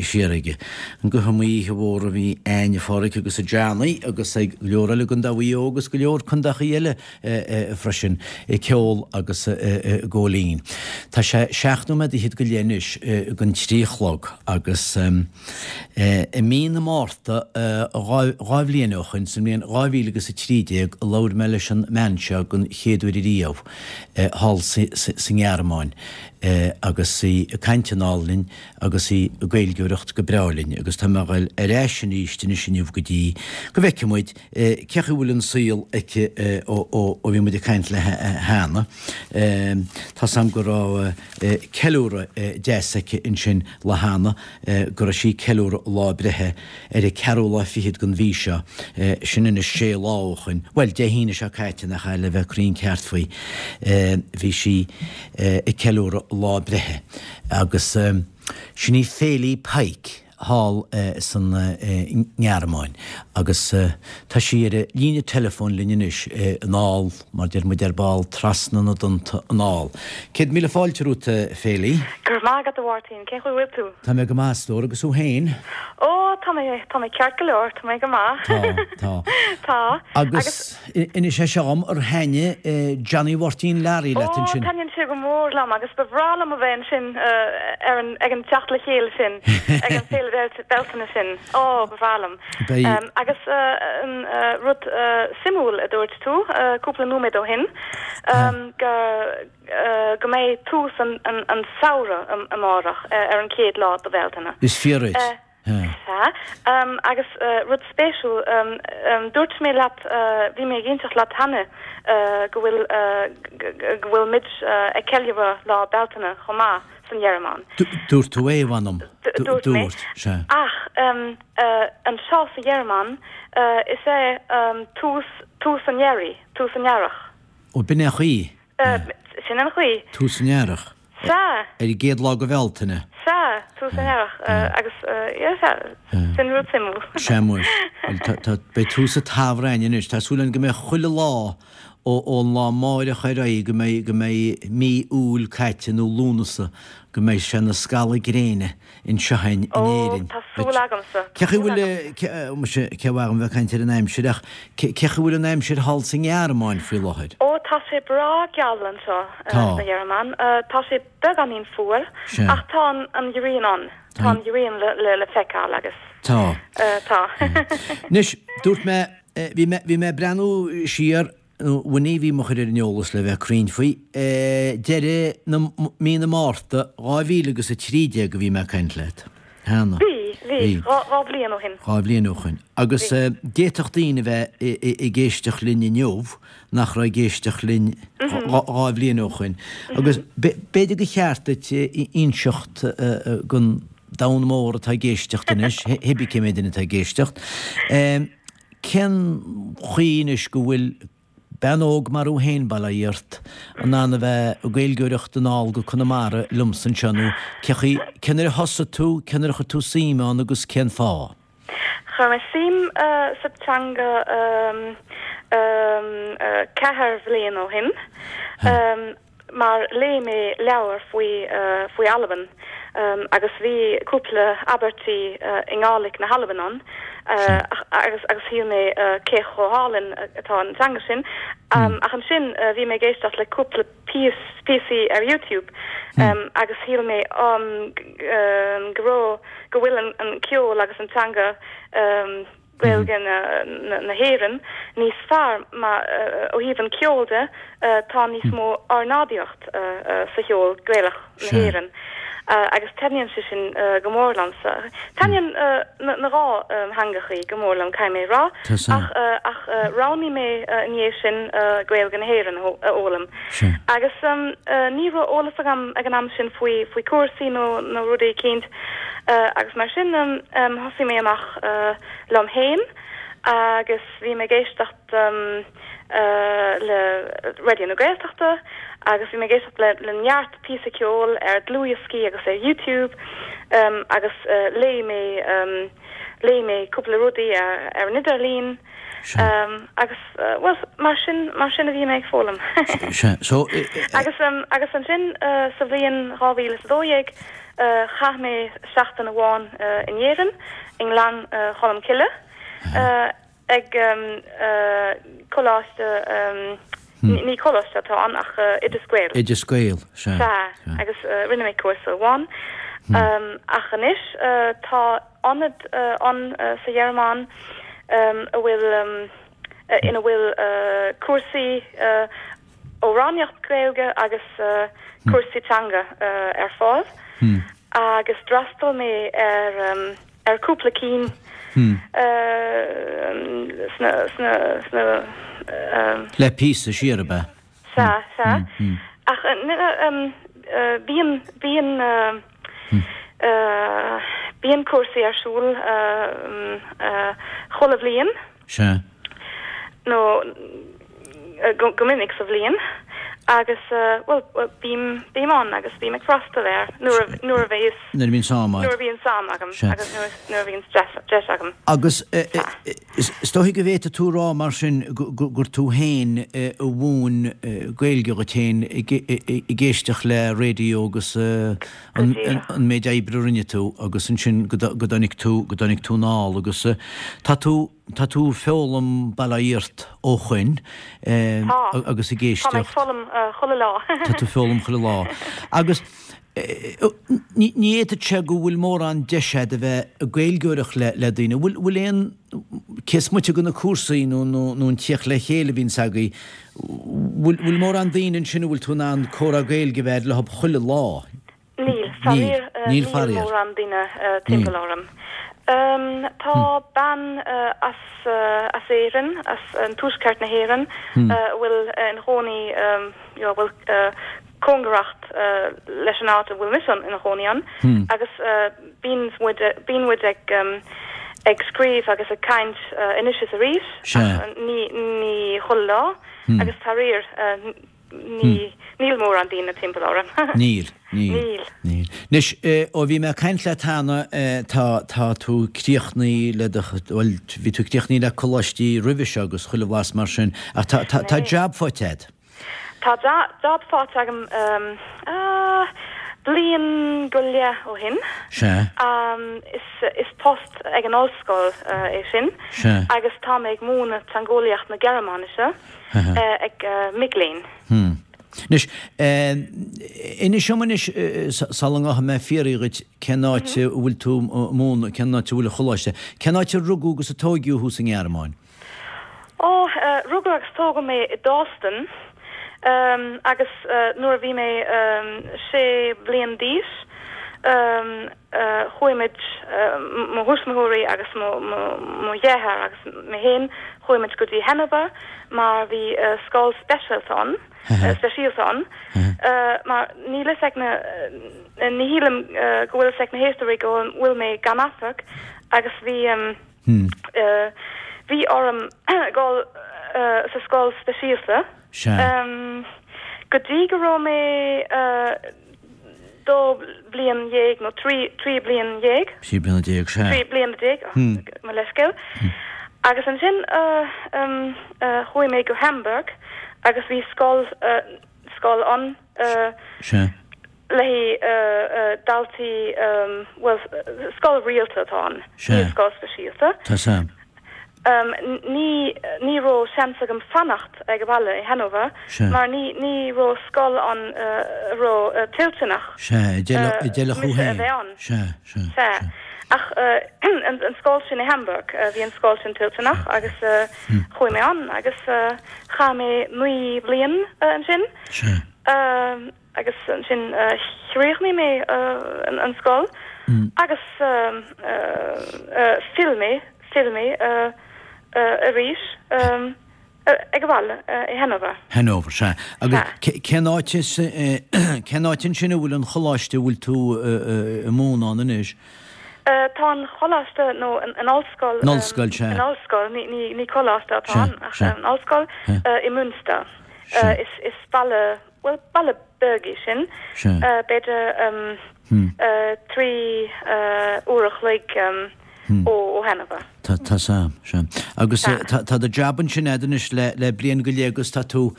siar aige. Go hiomaí oíche mhór a bhí a'inn a Pháraic agus a Johnny agus ag go leor eile i gContae Mhaigh Eo agus go leor contaechaí eile freisin ag ceol agus ag gabháil fhoinn. Tá sé seacht nóiméad fhichead go leith anois don trí a chlog agus i mí na Márta dhá bhliain ó shoin, sa mbliain dhá mhíle agus a trí déag, a labhair mé leis an mbean seo den chéad uair ariamh thall sa nGearmáin agus í ag caint anall linn agus í ag Gaeilgeoireacht go breá linn agus tá mé ag dul ar ais arís anois inniu go dtí go bhfeicfidh muid cé chaoi a bhfuil an saol aici ó bhí muid ag caint léi cheana. Tá's a'm go raibh ceiliúradh deas aici ansin lá cheana, go raibh sí ag ceiliúradh a lá breithe ar an ceathrú lá fichead den mhí seo, sin anois sé lá ó shoin, bhuel, Dé hAoine seo caite, nach ea, le bheith cruinn ceart faoi, bhí sí ag ceiliúradh a lá breithe agus sin í Féilí Pike. thall san nGearmáin agus tá sí ar an líne teileafóin linn anois anall, mar deir muid ar ball, trasna na dtonnta anall. Céad míle fáilte romhat, a Féilí. Go raibh maith agat, a Mháirtín. Cén chaoi a bhfuil tú? Tá mé go maith, a stór, agus thú féin? Ó, tá mé, tá mé ceart go leor, tá mé go maith. Tá, tá. Tá. Agus inis é seo dhom, ar thaitnigh Johnny Mháirtín Learaí leat ansin? Ó, taitníonn sé go mór liom agus ba bhreá liom a bheith ansin ar an, ag an teacht le chéile sin, ag an féile Bealtaine sin. Ó, ba bhreá liom. Beidh. Agus an rud suimiúil a dúirt tú cúpla nóiméad ó shin, go go mbeidh tús an an samhradh amárach ar an chéad lá de Bhealtaine. Is fíor duit. Sea. Agus rud spéisiúil, dúirt mé leat, bhí mé ag inseacht leat cheana go bhfuil go bhfuil muid ag ceiliúradh Lá Bealtaine chomh maith san Ghearmáin. Dúirt tú é, mh'anam. Dúirt mé. Sea. Ach anseo sa Ghearmáin, is é tús tús an earraigh, tús an earrach. Ó, b'in é an chaoi. Sin an chaoi. Tús an earrach. Sea. Ar an gcéad lá de Bhealtaine. Sea, tús an earrach agus yeah, sea, sin rud suimiúil. Sea muis. Bhuel, tá, tá, beidh tús an tsamhraidh a'inn anois. Tá súil a'inn go mbeidh chuile lá ó, ón lá amáireach ar aghaidh go mbeidh, go mbeidh mí Iúil caite nó Lúnasa, go mbeidh sé ina scalladh gréine anseo a'inn in Ó, Éirinn. tá súil agamsa, Cé tá chaoi súil bhfuil, agam. cé, muise, cé mhaith dhom bheith ag caint ar an aimsir ach cé, cé chaoi bhfuil an aimsir thall sa nGearmáin faoi láthair? Ó, Tá sé breá geal anseo Tá. sa Ghearmáin. Tá sé beagáinín fuar Sea. ach tá an an ghrian ann. Tá an ghrian le le le feiceáil agus Tá. tá. Anois, dúirt mé, bhí mé bhí mé ag breathnú siar, nó Winnie a bhí mo chur ar an eolas le bheith cruinn faoi, deireadh na mí na Márta dhá mhíle agus a trí déag a bhí mé ag caint leat. Cheana. Bhí, bhí, dhá dhá bhliain ó shin. Dhá bhliain ó shin. Agus d'fhéadfadh daoine a bheith ag éisteacht linn inniu nach raibh ag éisteacht linn dhá bhliain ó shin. Agus b'fhéidir gur cheart duit inseacht don domhan mór atá ag éisteacht anois, hébí cé mhéad duine atá ag éisteacht, cén chaoi anois go bhfuil bean óg mar thú féin, bail ó Dhia ort, in ann a bheith ag Gaeilgeoireacht anall go Conamara liomsa anseo nó cé chaoi, cén uair a thosaigh tú, cén uair a chuir tú suim ann agus cén fáth? Chuir mé suim sa teanga ceathair bhliain ó shin. Mar léigh mé leabhar faoi faoi Albain agus bhí cúpla abairtí i nGàidhlig na hAlban ann agus agus shíl mé cé chomh hálainn atá an teanga sin. Ach ansin bhí mé ag éisteacht le cúpla píos píosaí ar YouTube agus shíl mé go raibh go bhfuil an ceol agus an teanga Gaeilge na hÉireann níos fearr mar ó thaobh an ceoil de tá níos mó ornáidíocht sa cheol Gaelach na hÉireann agus taitníonn sé sin go mór liomsa. Taitníonn na dhá theangachaí go mór liom caithfidh mé a rá ach ach roghnaigh mé i ndiaidh sin Gaeilge na hÉireann a fhoghlaim. Agus ní raibh eolas agam ag an am sin faoi faoi cúrsaí nó nó rudaí eicínt agus mar sin thosaigh mé amach liom féin agus bhí mé ag éisteacht le Raidió na Gaeltachta agus bhí mé ag éisteacht le le neart píosa ceoil ar dlúthdhioscaí agus ar YouTube agus léigh mé léigh mé cúpla rudaí ar ar an idirlíon agus bhuel mar sin mar sin a bhí mé ag foghlaim. Sea, so. Agus agus ansin sa bhliain dhá mhíle is a dó dhéag chaith mé seachtain amháin in Éirinn, i nGleann Cholm Cille, ag coláiste, ní coláiste atá ann ach Oideas Gael. Oideas Gael, sea. Sea, agus rinne mé cúrsa amháin. Ach anois tá ionad ann sa Ghearmáin a bhfuil, ina bhfuil cúrsaí amhránaíocht Gaeilge agus cúrsaí teanga ar fáil agus d'fhreastail mé ar ar cúpla cinn sna sna sna Le píosa siar ab ea? Sea, sea. Ach bíonn bíonn bíonn cúrsaí ar siúl chuile bhliain. Sea. Nó go minic sa bhliain agus, bhuel, bím, bím ann agus bím ag freastal air nuair a, nuair a bhéas. Nuair a bhíonn am agat. Nuair a bhíonn am agam agus nuair, nuair a bhíonn deis, deis agam. Agus is dóigh go bhféadfaidh tú a rá mar sin gur tú féin a mhúin Gaeilge dhuit féin ag éisteacht le raidió agus an méid oibre a rinne tú agus ansin go dtáinig tú, go dtáinig tú anall agus tá tú, Tá tú ag foghlaim bail ó Dhia ort ó shoin agus ag éisteacht. Tá mé ag foghlaim chuile lá. Tá tú ag foghlaim chuile lá. Agus ní fhéadfadh sé go bhfuil mórán deis agat a bheith ag Gaeilgeoireacht le daoine. Bhfuil bhfuil aon, cé is moite de na cúrsaí nó nó an tíocht le chéile a bhíonns agaibh, bhfuil bhfuil mórán daoine ansin a bhfuil tú in ann comhrá Gaeilge a bheith agat leo chuile lá? Níl, faraor, níl mórán daoine timpeall orm. Tá bean as as Éirinn, as an tuaisceart na hÉireann, a bhfuil ina chónaí, a bhfuil cóngarach leis an áit a bhfuil mise ina chónaí ann, agus bíonn muid bíonn muid ag ag scríobh agus ag caint anois is arís, ach ní ní chuile lá, agus faraor Ní, níl mórán daoine timpeall orm. Níl, níl. Níl. Níl. Anois, ó bhí mé ag caint leat cheana, tá, tá tú críochnaithe le do, bhuel, bhí tú críochnaithe le coláistí roimhe seo agus chuile bhlas mar sin, ach tá, tá, tá jab faighte agat. Tá job faighte agam, ah, Bliain go leith ó shin. Sea. Is is post ag an ollscoil é sin. Sea. Agus tá mé ag múineadh teangeolaíocht na Gearmáinise ag mic léinn. Hmm. Anois, inis dom anois, sula ngabhfaidh mé ag fiafraí dhuit cén áit a bhfuil tú ag múineadh, cén áit a bhfuil an choláiste, cén áit a rugadh agus a tóigeadh thú sa nGearmáin? Ó, rugadh agus tógadh mé i Dorsten agus nuair a bhí mé sé bliain d'aois chuaigh muid, mo thuismitheoirí agus mo dheartháir agus mé féin, chuaigh muid go dtí Hannover mar bhí scoil speisialta ann, speisialta ann mar níl fhios ag na, ní shílim go bhfuil fhios ag na héisteoirí go bhfuil mé gan amharc agus bhí. Bhí orm dul sa scoil speisialta go dtí go raibh mé dó bliain dhéag nó trí trí bliain dhéag. Trí bliana déag, sea. Trí bliana déag, mo leithscéal. Agus ansin chuaigh mé go Hamburg agus bhí scoil scoil ann. Sea. Le haghaidh daltaí, bhuel, scoil rialta atá ann, ní scoil speisialta. Tá sam. Ní, ní raibh seans agam fanacht ag baile i Hannover mar ní, ní raibh scoil ann a raibh toilteanach Sea, a d'fheilfeadh thú mise a bheith ann. Sea, sea, Sea. Ach an scoil sin i Hamburg, bhí an scoil sin toilteanach agus chuaigh mé ann agus chaith mé naoi bliain ansin. Sea. Agus ansin chríochnaigh mé an scoil agus phill mé, phill mé arís ag baile i Hannover. Hannover, sea. Agus cén áit, cén áit ansin a bhfuil an choláiste a bhfuil tú ag múineadh ann anois? Tá an choláiste nó an ollscoil, An ollscoil, sea. An ollscoil, ní coláiste atá ann ach an ollscoil i Münster. Is baile Bhuel, baile beag é sin, b'fhéidir trí uair a chloig ó Hannover. Tá sam, sea. Agus tá do jab ansin a'd anois le bliain go leith agus tá tú,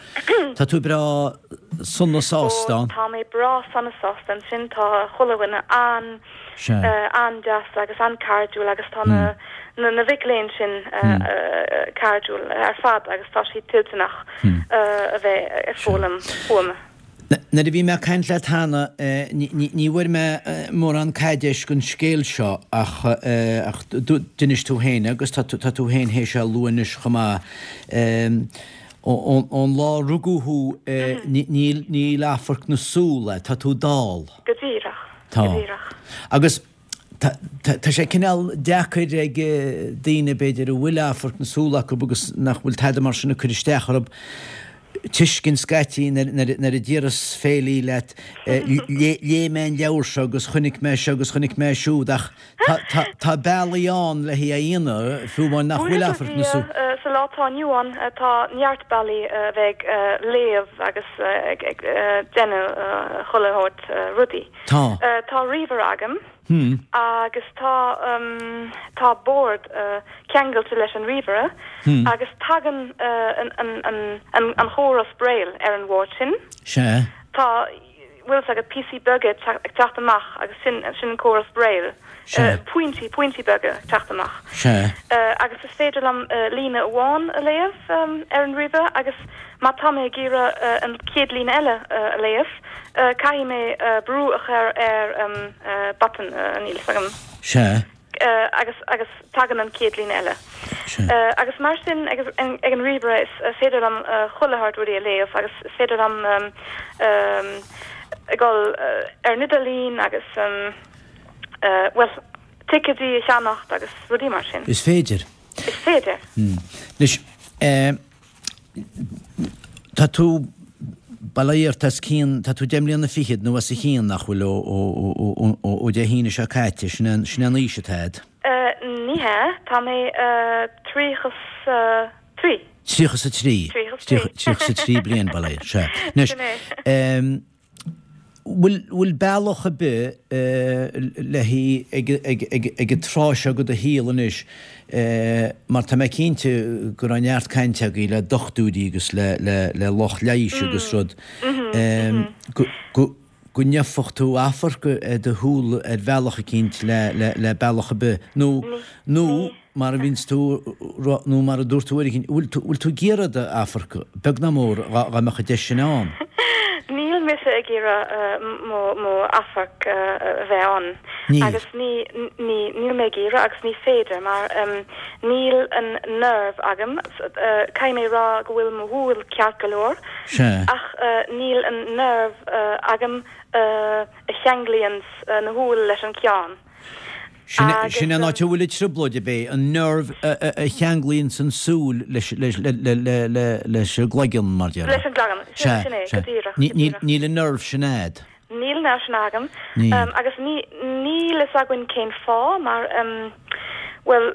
tá tú breá sona sásta ann. Ó, tá mé breá sona sásta ansin, tá chuile dhuine an, an-deas agus an-cairdiúil agus tá na, na mic léinn sin cairdiúil ar fad agus tá siad toilteanach a bheith ag foghlaim uaim. Nuair a bhí mé ag caint leat cheana, ní bhfuair mé mórán caidéis den scéal seo ach d'inis tú féin agus tá tú féin théis é a lua anois chomh maith, ón lá a rugadh thú níl amharc na súl a'd, tá tú dall. Go díreach, go díreach. Agus Tá sé cineál deacair ag daoine, b'fhéidir, a bhfuil amharc na súl acu agus nach bhfuil tada mar sin ag cur isteach orthu, tuiscint scaití nuair a déarfas féilí leat, léigh mé an leabhar seo agus chonaic mé seo agus chonaic mé siúd ach tá bealaí ann le hé a dhéanamh, fiú amháin nach bhfuil amharc na súl. Sa lá atá inniu ann, tá neart bealaí a bheith ag léamh agus ag déanamh chuile shórt rudaí. Tá. Tá ríomhaire agam. Agus tá tá bord ceangailte leis an ríomhaire agus tagann an an chóras Braille ar an bhord sin. Sea. Tá, bhfuil fhios agat, píosaí beaga ag teacht amach agus sin sin an córas Braille. Sea. Pointí, pointí beaga ag teacht amach. Sea. Agus is féidir liom líne amháin a léamh ar an ríomhaire agus má tá mé ag iarraidh an chéad líne eile a léamh, Caithfidh mé brú a chur ar an botton, níl fhios agam. Sea. Agus, agus tagann an chéad líne eile. Sea. Agus mar sin ag an ríomhaire is féidir liom chuile shórt rudaí a léamh agus is féidir liom a dhul ar an idirlíon agus, bhuel, ticéidí a cheannacht agus rudaí mar sin. Is féidir. Is féidir. Anois, tá tú, bail ó Dhia ort, os cionn, tá tú deich mbliana fichead nó os a chionn, nach bhfuil, ó Dé hAoine seo caite, sin é an aois atá a'd. Ní hea, tá mé tríocha 's a trí. Tríocha 's a trí. Tríocha 's a trí. Tríocha 's a trí bliain, bail ó Dhia, sea. Anois, Bhfuil, bhfuil bealach ar bith le haghaidh, ag, ag, ag an tráth seo de do shaol anois, mar tá mé cinnte go raibh neart cainte agaibh le dochtúirí agus le, le, le lucht leighis agus rud, go, go, go ngeobhadh tú amharc ar do shúil ar bhealach eicínt le le le bealach ar bith nó nó mar a bhíonns tú nó mar a dúirt tú uair eicínt, bhfuil tú bhfuil tú ag iarraidh d'amharc, beag ná mór, dhá dhá mbeadh an deis sin ann? Níl mise ag iarraidh mo mo amharc a bheith ann. Níl. Agus ní ní níl mé ag iarraidh agus ní féidir mar níl an nerve agam, caithfidh mé rá go bhfuil mo shúil ceart go leor Sea. ach níl an nerve agam a cheanglaíonn na shúil leis an ceann. Sin Agus sin an áit a bhfuil an trioblóid ab é, an nerve a cheanglaíonn an súil leis leis le le le le leis an gcloigeann mar déarfá. Leis an gcloigeann, sin Sea, sin é, sea. go díreach, Ní go ní díreach. níl an nerve sin a'd. Níl an nerve sin agam. Níl. Um, agus ní níl fhios againn cén fáth mar um, well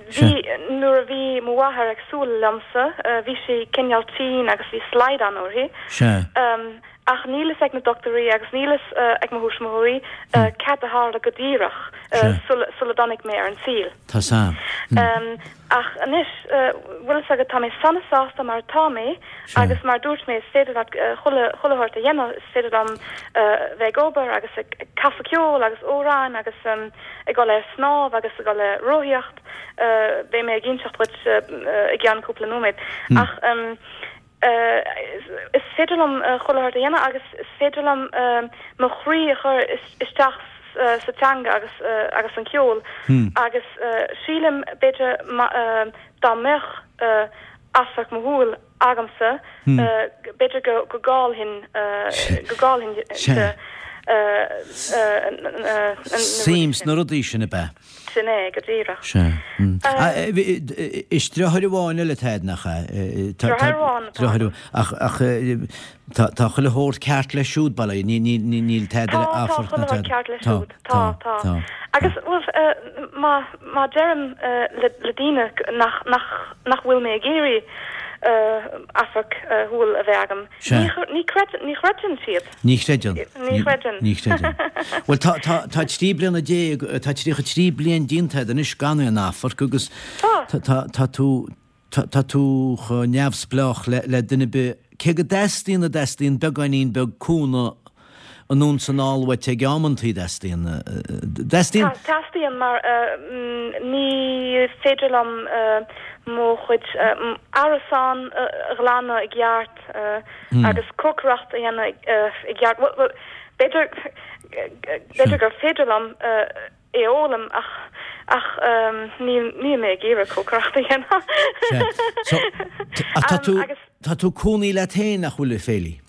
bhí nuair a bhí mo mháthair ag súil liomsa, uh, bhí sí cineál tinn agus bhí slaghdán uirthi. Sea. Um, ach níl fhios ag na dochtúirí agus níl fhios uh, ag mo thuismitheoirí uh, cad a tharla go díreach uh, Sea. sula sula dtáinig mé ar an saol. Tá sam. Um, ach anois uh, bhfuil fhios agat tá mé sona sásta mar tá mé Sea. agus mar dúirt mé is féidir leat uh, chuile chuile shórt a dhéanamh is féidir liom uh, bheith ag obair agus ag ag casadh ceol agus amhráin agus um, ag dul ar snámh agus ag dul ar rothaíocht uh, beidh mé ag inseacht duit uh, uh, i gceann cúpla nóiméad. Ach um, uh, is, is féidir liom uh, chuile shórt a dhéanamh agus is féidir liom uh, mo chroí a chur is- isteach uh, sa teanga agus uh, agus an ceol agus uh, sílim b'fhéidir ma- uh, dá mbeadh uh, amharc mo shúil agamsa uh, b'fhéidir go go gcaillfinn uh, go gcaillfinn Sea. uh, uh, uh, Suim sna rudaí sin ab ea. Sin é go díreach. Sea. Mm. Ah, eh, bhí- eh, Is deartháir amháin eile atá nach ea? Tá- tá- Deartháir amháin atá Deartháir amháin. Ach ach eh, tá tá chuile shórt ceart leis siúd bail ní ní ní níl tada Tá tá amharc chuile ná shórt tada. ceart leis Tá, siúd. Tá tá, tá. Agus well, uh, má má deirim uh, le le daoine nach nach nach bhfuil mé ag iarraidh uh, amharc uh, shúil a bheith agam. Sea. Ní chre- ní chreid ní chreideann siad. Ní chreideann. Ní chreideann. Ní chreideann. Well tá tá tá trí bliana déag tá tríocha trí bliain déanta anois gan aon amharc agus Tá. tá tá tá tú tá tá tú chomh neamhspleách le le duine ar bith cé go dteastaíonn a dteastaíonn beagáinín beag cúnamh anonn is anall uait ag amantaí dteastaíonn dteastaíonn Tá teastaíonn mar uh, mm, ní féidir liom uh, mo chuid uh, m- árasán uh, a ghlanadh i gceart uh, agus cócaireacht a dhéanamh uh, i gceart. Well, well, B'fhéidir b'fhéidir gur féidir liom uh, é a fhoghlaim ach ach um, níl níl mé ag iarraidh cócaireacht a dhéanamh. Sea. So t- ach tá Um, tú agus- tá tú cónaí leat féin nach bhfuil a Féilí.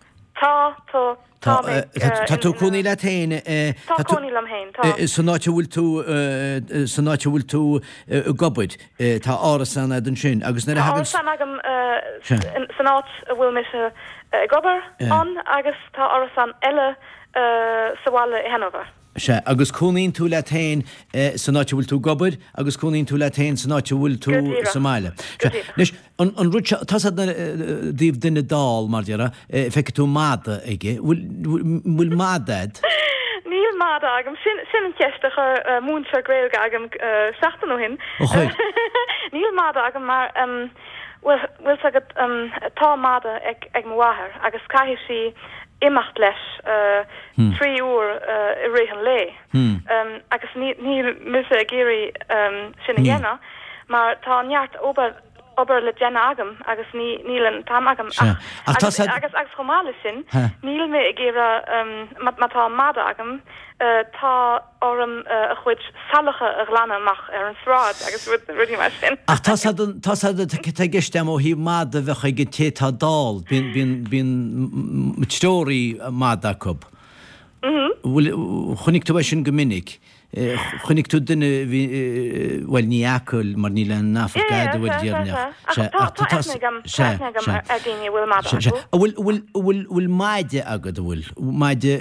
Tá tá Tá tá mé, eh, tá- tá uh, tú in- cónaí leat féin eh, Tá tá tú- cónaí liom féin, tá. Eh, San áit a bhfuil tú eh, san áit a bhfuil tú eh, ag obair eh, tá árasán agat ansin agus nuair a Tá thagann árasán agam uh, Sea. in- san áit a bhfuil mise uh, ag obair Yeah. ann agus tá árasán eile uh, sa bhaile i Hanover. Sea, agus cónaíonn tú leat féin eh, san áit a bhfuil tú ag obair agus cónaíonn tú leat féin san áit a bhfuil tú Go díreach. sa mbaile. Go Sea, díreach. Anois, an, an rud seo, tá a fhios agat i dtaobh duine dall mar déarfá, eh, feicfidh tú mada aige, bhfuil bhfuil- bhfuil mada agat? Níl mada agam sin sin an cheist a chuir uh, múinteoir Gaeilge agam uh, seachtain ó shin. Ó chuir. Níl mada agam mar um, bhfuil bhfuil a fhios agat um, tá mada ag, ag mo mháthair agus caithfidh sí imeacht leis uh, Hmm. trí uair uh, i rith an lae. Hmm. Um, agus ní níl mise ag iarraidh um, sin a Níl. dhéanamh, mar tá neart obair obair le déanamh agam agus ní níl an t-am agam Sea. Ach tá agus, said- agus agus chomh maith leis sin Ha. níl mé ag iarraidh um, má má tá mada agam uh, tá orm uh, a chuid salacha a ghlanadh amach ar an sráid agus rud rudaí mar sin. Ach tá a fhios tá a fhios agat tá i gceist agam ó thaobh mada a bheith ag an té atá dall, bíonn bíonn bíonn treoraí mada acu. Bhfuil chonaic tú é sin go minic. Eh, Chonaic tú duine bhí eh, bhuel ní fhaca mar níl an amharc agat bhfuil déarnach. Tá tá aithne agam tá aithne agam ar ar daoine a bhfuil mada acu. Bhfuil bhfuil bhfuil bhfuil maide agat bhfuil maide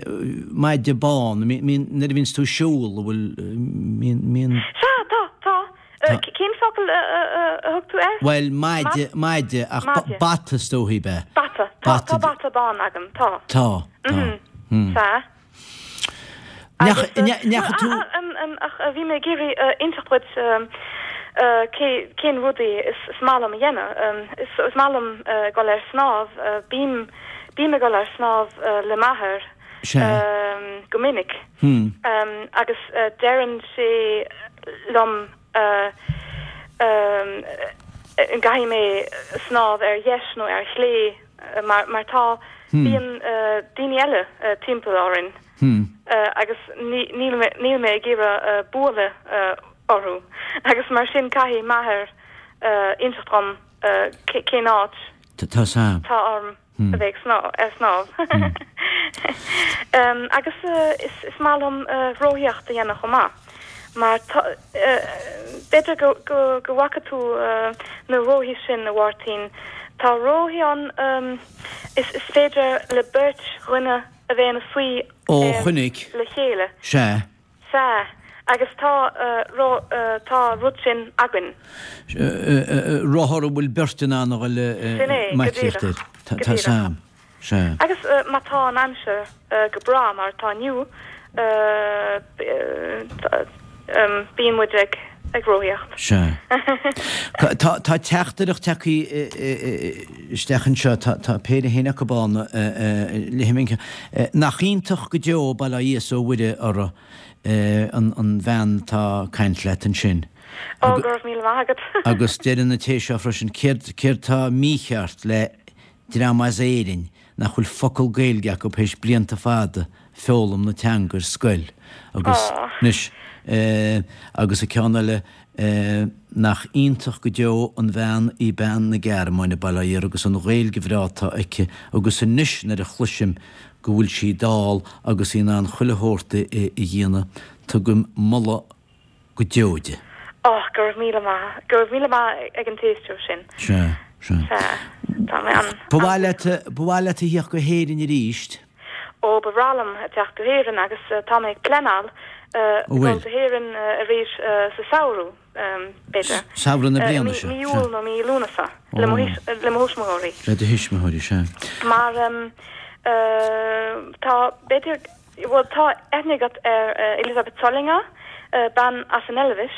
maide bán nuair a bhíonns tú ag siúl bhfuil mín mín Sea tá tá Tá. Uh, cén focal a a thug tú air? Well maide maide ach Maide. bata is dóichí be. Bata tá Bata. tá bata bán agam tá. Tá tá. Sea. Neach Agus, uh, neach tú ah, ah, um, um, ach uh, bhí mé ag iarraidh uh, inseacht duit um, uh, cé cén rudaí is, is maith liom a dhéanamh. Um, is, is maith liom uh, dul ar snámh, uh, bím bím ag dul ar snámh uh, le m'athair Sea. go minic. Agus deireann sé liom an gcaithfidh mé snámh ar dheis nó ar chlé mar mar tá bíonn daoine eile timpeall orainn agus níl mé níl mé ag iarraidh bualadh orthu agus mar sin caithfidh m'athair inseacht dom cén áit tá orm a bheith ag snámh. Agus is maith liom rothaíocht a dhéanamh chomh maith mar b'fhéidir go bhfaca tú na rothaí sin, a Mháirtín. Tá rothaí ann is féidir le beirt dhuine a bheith ina suí le chéile. Sea. Sea, agus tá tá rud sin againn. Rothar a bhfuil beirt in ann a dhul Sin é, go díreach. Go Tá díreach. Sam. Sea. Agus má tá an aimsir go breá mar atá inniu, bíonn muid ag ag rothaíocht. Sea. Tá tá teachtaireacht tagtha isteach anseo, tá tá péire féin acu ann, léifidh mé an ceann. Nach iontach go deo, bail ó Dhia 's ó Mhuire uirthi, an an bhean atá ag caint leat ansin. Ó, go raibh míle maith agat. Agus deireann an té seo freisin, céard céard tá mícheart le dream as Éirinn nach bhfuil focal Gaeilge acu théis blianta fada foghlaim na teanga ar scoil agus anois agus an ceann eile nach iontach go deo an bhean í bean na Gearmáine, bail ó Dhia uirthi agus an Ghaeilge bhreá atá aici agus anois nuair a chloisim go bhfuil sí dall agus í in ann chuile shórt a dhéanamh tugaim moladh go deo di. Ó, go raibh míle maith, go raibh míle maith ag an t-éisteoir sin. Sea, sea. Sea, tá mé an. Ba mhaith leat, ba mhaith leat a theacht go hÉirinn arís? Ó, ba bhreá liom a theacht go hÉirinn agus tá mé ag pleanáil dul go hÉirinn arís sa samhradh, b'fhéidir. Samhradh na bliana seo? Mí Iúil nó mí Lúnasa, le mo thuismitheoirí. Le do thuismitheoirí, sea. Mar tá, b'fhéidir, bhuel, tá aithne agat ar Elisabeth Zollinger, bean as an Eilbhis,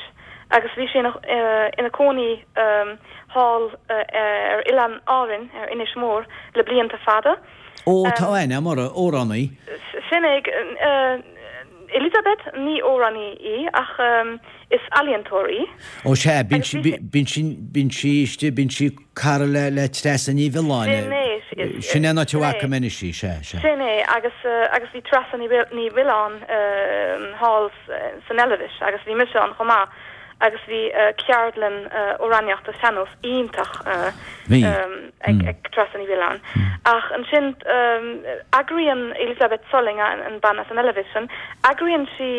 agus bhí sí ina cónaí thall ar Oileán Árainn, ar Inis Mór, le blianta fada. Ó, tá aithne agam uirthi, amhránaí. Sin é, Elisabeth, ní amhránaí í, ach is ealaíontóir í. Ó sea, bíonn sí, bíonn sí, bíonn sí istigh, bíonn sí cara le, le Treasa Ní Mhiolláin. Sin é, Sin é an áit a bhfaca mé anois í, sea, sea. Sin é, agus, agus bhí Treasa Ní Mhiolláin thall san Eilbhis agus bhí mise ann chomh maith. agus bhí ceardlann amhránaíochta sean-nós iontach ag Treasa Ní Mhiolláin. Ach ansin eagraíonn Elisabeth Zollinger, an bean as an Eilbhis sin, eagraíonn sí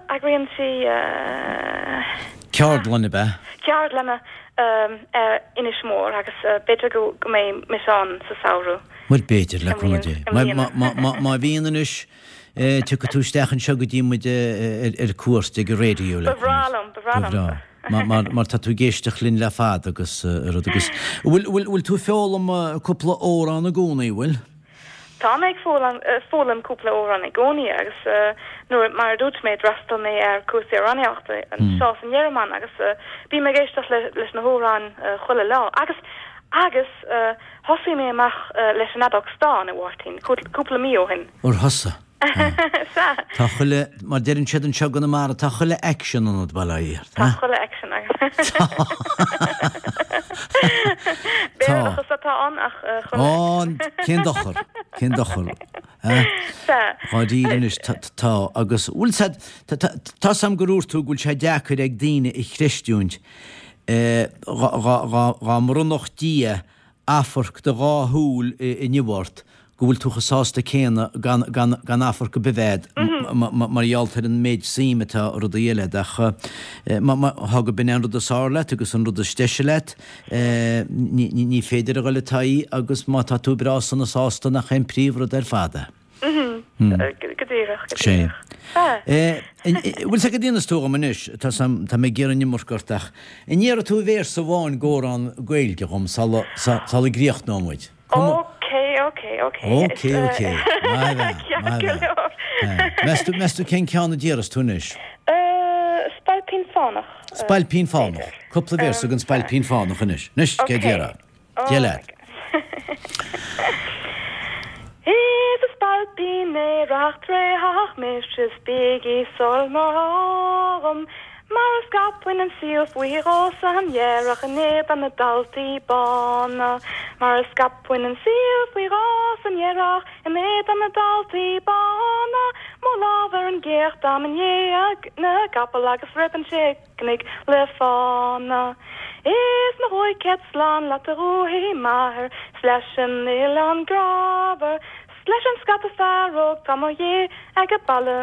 eagraíonn sí Ceardlann, ab ea? Ceardlanna ar Inis Mór agus b'fhéidir go mbeidh mise ann sa samhradh. Bhuel, b'fhéidir, le cúnamh Dé. Má bhíonn anois, Tiocfaidh tú isteach anseo go dtí muid ar cuairt ag an raidió le. Ba bhreá liom, ba bhreá liom. Ba bhreá. Mar tá tú ag éisteacht linn le fada agus rud agus. Bhfuil tú ag foghlaim cúpla amhrán i gcónaí, bhfuil? Tá mé ag foghlaim cúpla amhrán i gcónaí agus nuair, mar a dúirt mé, d'fhreastail mé ar cúrsaí amhránaíochta anseo san Ghearmáin agus bím ag éisteacht leis na hamhráin chuile lá. Agus, agus thosaigh mé amach leis an fheadóg stáin, a Mháirtín, cúpla mí ó shin. Ar thosaigh? Sea. Tá chuile, mar deireann siad anseo i gConamara, tá chuile aicsean ionat, bail ó Dhia ort. Tá chuile aicsean agam. Béarlachas atá ann ach chuile aicsean. Ó, cén dochar, cén dochar. Sea. Dháiríre anois, tá, agus, bhfuil said, tá 's a'm gur dhúirt tú go bhfuil sé deacair ag daoine a chreistiúint dhá mbronnfadh Dia amharc do dhá shúil inniu ort go bhfuil tú chomh sásta céanna gan gan amharc ar bith a bheith agat mar gheall ar an méid suim atá i rudaí eile ach tá go b'in é an rud is fearr leat agus an rud is deise leat ní féidir a dhul id aghaidh agus má tá tú breá sona sásta nach é an príomhrud ar fad é. Go díreach, go díreach. Sea. Bhfuil 's agat cad a dhéanfas tú dhom anois, tá 's a'm, tá mé ag iarraidh an iomarca ort ach an ndéarfaidh tú véarsa amháin d'amhrán Gaeilge dhom sula sula gcríochnóidh muid? Ok, ok, ok. Ok, ok. Maith bhean, maith bhean. Meas tú, meas tú cén ceann a déarfas tú anois? Spailpín Fánach. Spailpín Fánach. Cúpla véarsa den Spailpín Fánach anois. Anois, cé déarfá? Dé leat. Is a spailpín aerach tréitheach mise is bígí sul má thághaim mar a scaipfinn an saol faoi dhó san earrach in éadan na dtaltaí bána mar a scaipfinn an saol faoi dhó san earrach in éadan na dtaltaí bána mo lámh ar an gcéach táim i ndiaidh na gcapall agus roimh an bpicnic le fána. Is mo chúig chéad slán leat a dhúthaigh m'athar 's leis an oileán grámhar 's leis an scata fear óg 'tá mo dhiaidh ag baile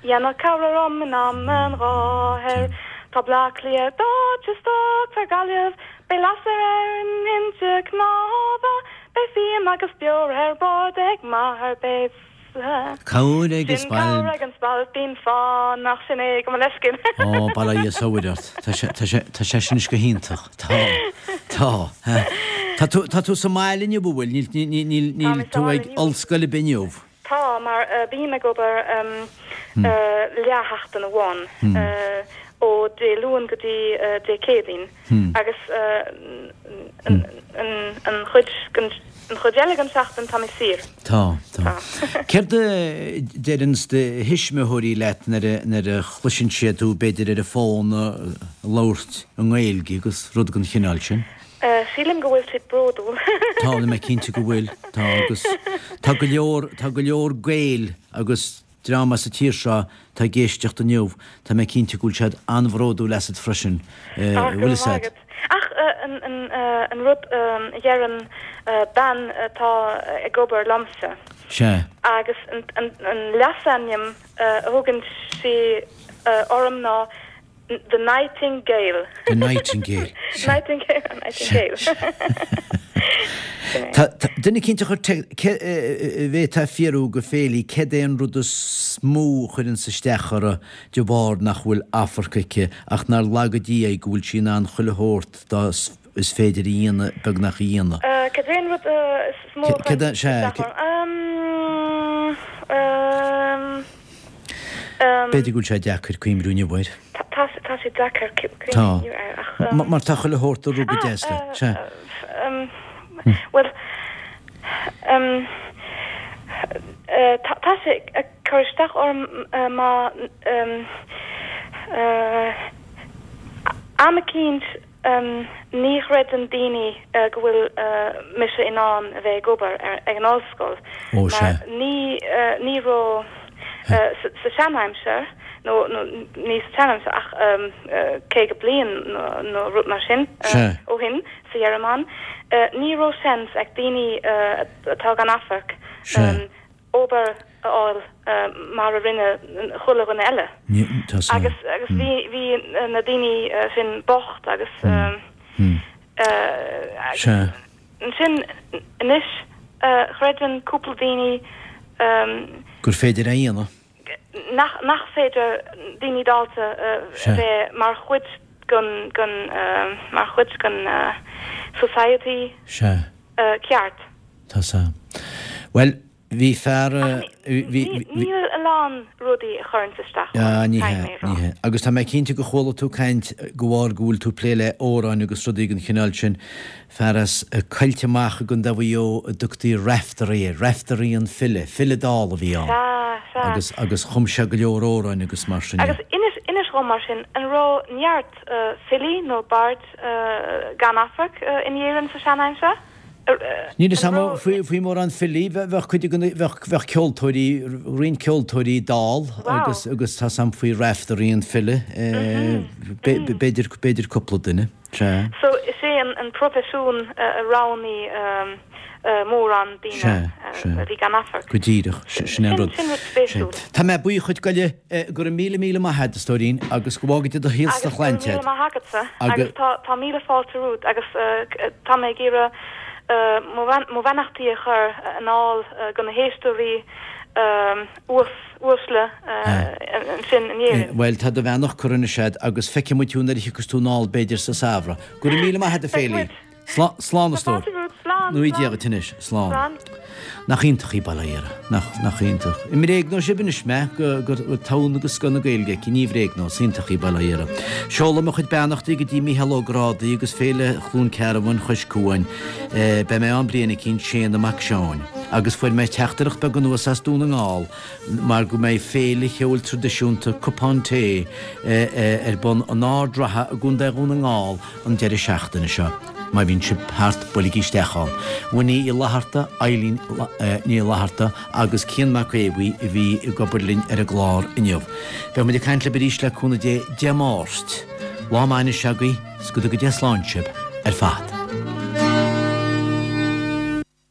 dhéanfadh cabhair orm in am an gháthair. Tá Bleá Cliath dóite 's tógfar Gaillimh beidh lasair ar an inse cnámha beidh fíon agus beoir ar bord ag m'athair beidh Cabhair ag an Sin cabhair ag an spailpín fánach sin é gabh mo leithscéal. Ó, bail ó Dhia is ó Mhuire ort. Tá sé, tá sé, tá sé sin anois go hiontach. Tá, tá. Tá tú, tá tú sa mbaile inniu, an bhfuil? Níl, níl, níl, Tá níl mé sa tú bhaile ag inniu. ollscoil ar bith inniu? Tá, mar bím ag obair leathsheachtain amháin, ó Dé Luain go dtí Dé Céadaoin agus an chuid den An chuid eile den seachtain tá mé saor. Tá, tá. Céard a deireanns do thuismitheoirí leat nuair a, nuair a chloiseann siad tú b'fhéidir ar an bhfón ag labhairt i nGaeilge agus rud den chineál sin? Sílim go bhfuil siad bródúil. Tá, tá mé cinnte go bhfuil. Tá agus tá go leor, tá go leor Gael agus dream as an tír seo atá ag éisteacht inniu, tá mé cinnte go bhfuil siad an-bhródúil asat freisin, Ach go bhfuil raibh fhios maith a'd. agat. Ach an rud a dheireann bean atá ag obair liomsa. Sea. Agus an leasainm a thugann sí orm ná The Nightingale. The Nightingale. Nightingale, Nightingale. Tá duine eicínt a chuir te, bhféadfá fiafraí de Féilí céard é an rud is mó a chuireanns isteach uirthi de bharr nach bhfuil amharc aici ach nár laga Dia í go bhfuil sí in ann chuile shórt dá is féidir a dhéanamh beagnach a dhéanamh. Cad é an rud is mó a chuireanns isteach orm? B'fhéidir go bhfuil sé deacair cuimhniú inniu air. Tá tá sé deacair cuimhniú air ach. Mar tá chuile shórt ag rith go deas leat. Sea. Bhuel, tá sé ag cur isteach orm má am eicínt ní chreideann daoine go bhfuil mise in ann a bheith ag obair ag an ollscoil mar ní ní raibh sa seanaimsir nó ní sa tseanaimsir ach caoga bliain nó rud mar sin ó shin sa Ghearmáin ní raibh seans ag daoine atá gan amharc obair a fháil mar a rinne chuile dhuine eile. Agus agus bhí bhí na daoine sin bocht agus ansin anois chreideann cúpla daoine gur féidir a dhéanamh. Nach nach féidir daoine dallta bheith mar chuid den den mar chuid den society ceart. Tá sa. Bhuel, bhí fear bhí Níl a lán rudaí a chuireanns isteach orm, ní hea, ní hea. Agus tá mé cinnte go chuala tú caint de bharr go bhfuil tú ag plé le amhráin agus rudaí den chineál sin, fear as Coillte Mach i gContae Mhaigh Eo a dtugtaí Raiftearaí air, Raiftearaí an file, file dall a bhí ann. Sea, sea. Agus, agus chum sé go leor amhráin agus mar sin de. Agus inis, inis dhom mar sin, an raibh neart filí nó baird gan amharc in Éirinn sa sean-aimsir? Níl fhios a'm faoi faoi mórán filí, bheadh cuid de na, bheadh, bheadh ceoltóirí, roinnt ceoltóirí dall agus, agus tá 'fhios a'm faoi Raiftearaí an file, b'fhéidir, b'fhéidir cúpla duine, sea. So is é an, an proifisiún a roghnaigh mórán daoine a bhí gan amharc. Go díreach, sin é an rud. Sin rud spéisiúil. Tá mé buíoch dhuit go go raibh míle míle maith agat, a stóirín, agus go bhfága Dia do shaol 's do Agus go raibh shláinte míle maith agatsa agus tá tá míle fáilte romhat agus tá mé ag iarraidh mo bheannachtaí a chur anall go na héisteoirí uaisle ansin in Éirinn. Bhuel, tá do bheannacht curtha anois agat agus feicfidh muid thú nuair a thiocfas tú anall b'fhéidir sa samhradh. Go raibh míle maith agat, a Féilí. Slán a stór. Slán. Nó Dia duit anois. Slán. Slán. Nach iontach í Baile Átha Ghiorra. Nach, nach iontach. An mbréagnóidh sibh anois mé go, go, go togha agus scoth na Gaeilge aici. Ní bhréagnóidh. Is iontach í Baile Átha Ghiorra. Seolaim mo chuid beannachtaí go dtí Mícheál Ó Grádaigh agus Féile Chluain Cearbán Chois Cuain. Eh, beidh mé ann bliain eicínt, Séanna Mac Seáin. Agus fuair mé teachtaireacht beag anuas as Dún na nGall mar go mbeidh féile cheoil traidisiúnta Cupán Tae eh, eh, ar bun in Ard Ratha i gContae Dhún na nGall an deireadh seachtaine seo. Má bhíonn sibh thart buailigí isteach ann. Winnie Uí Fhlatharta, Eileen Ní Fhlatharta agus Cian Mac Aodha a bhí ag obair linn ar an gclár inniu. Beidh muid ag caint libh arís le cúnamh Dé Dé Máirt. Lá maith anois agaibh, 's go dtuga Dia slán sibh ar fad.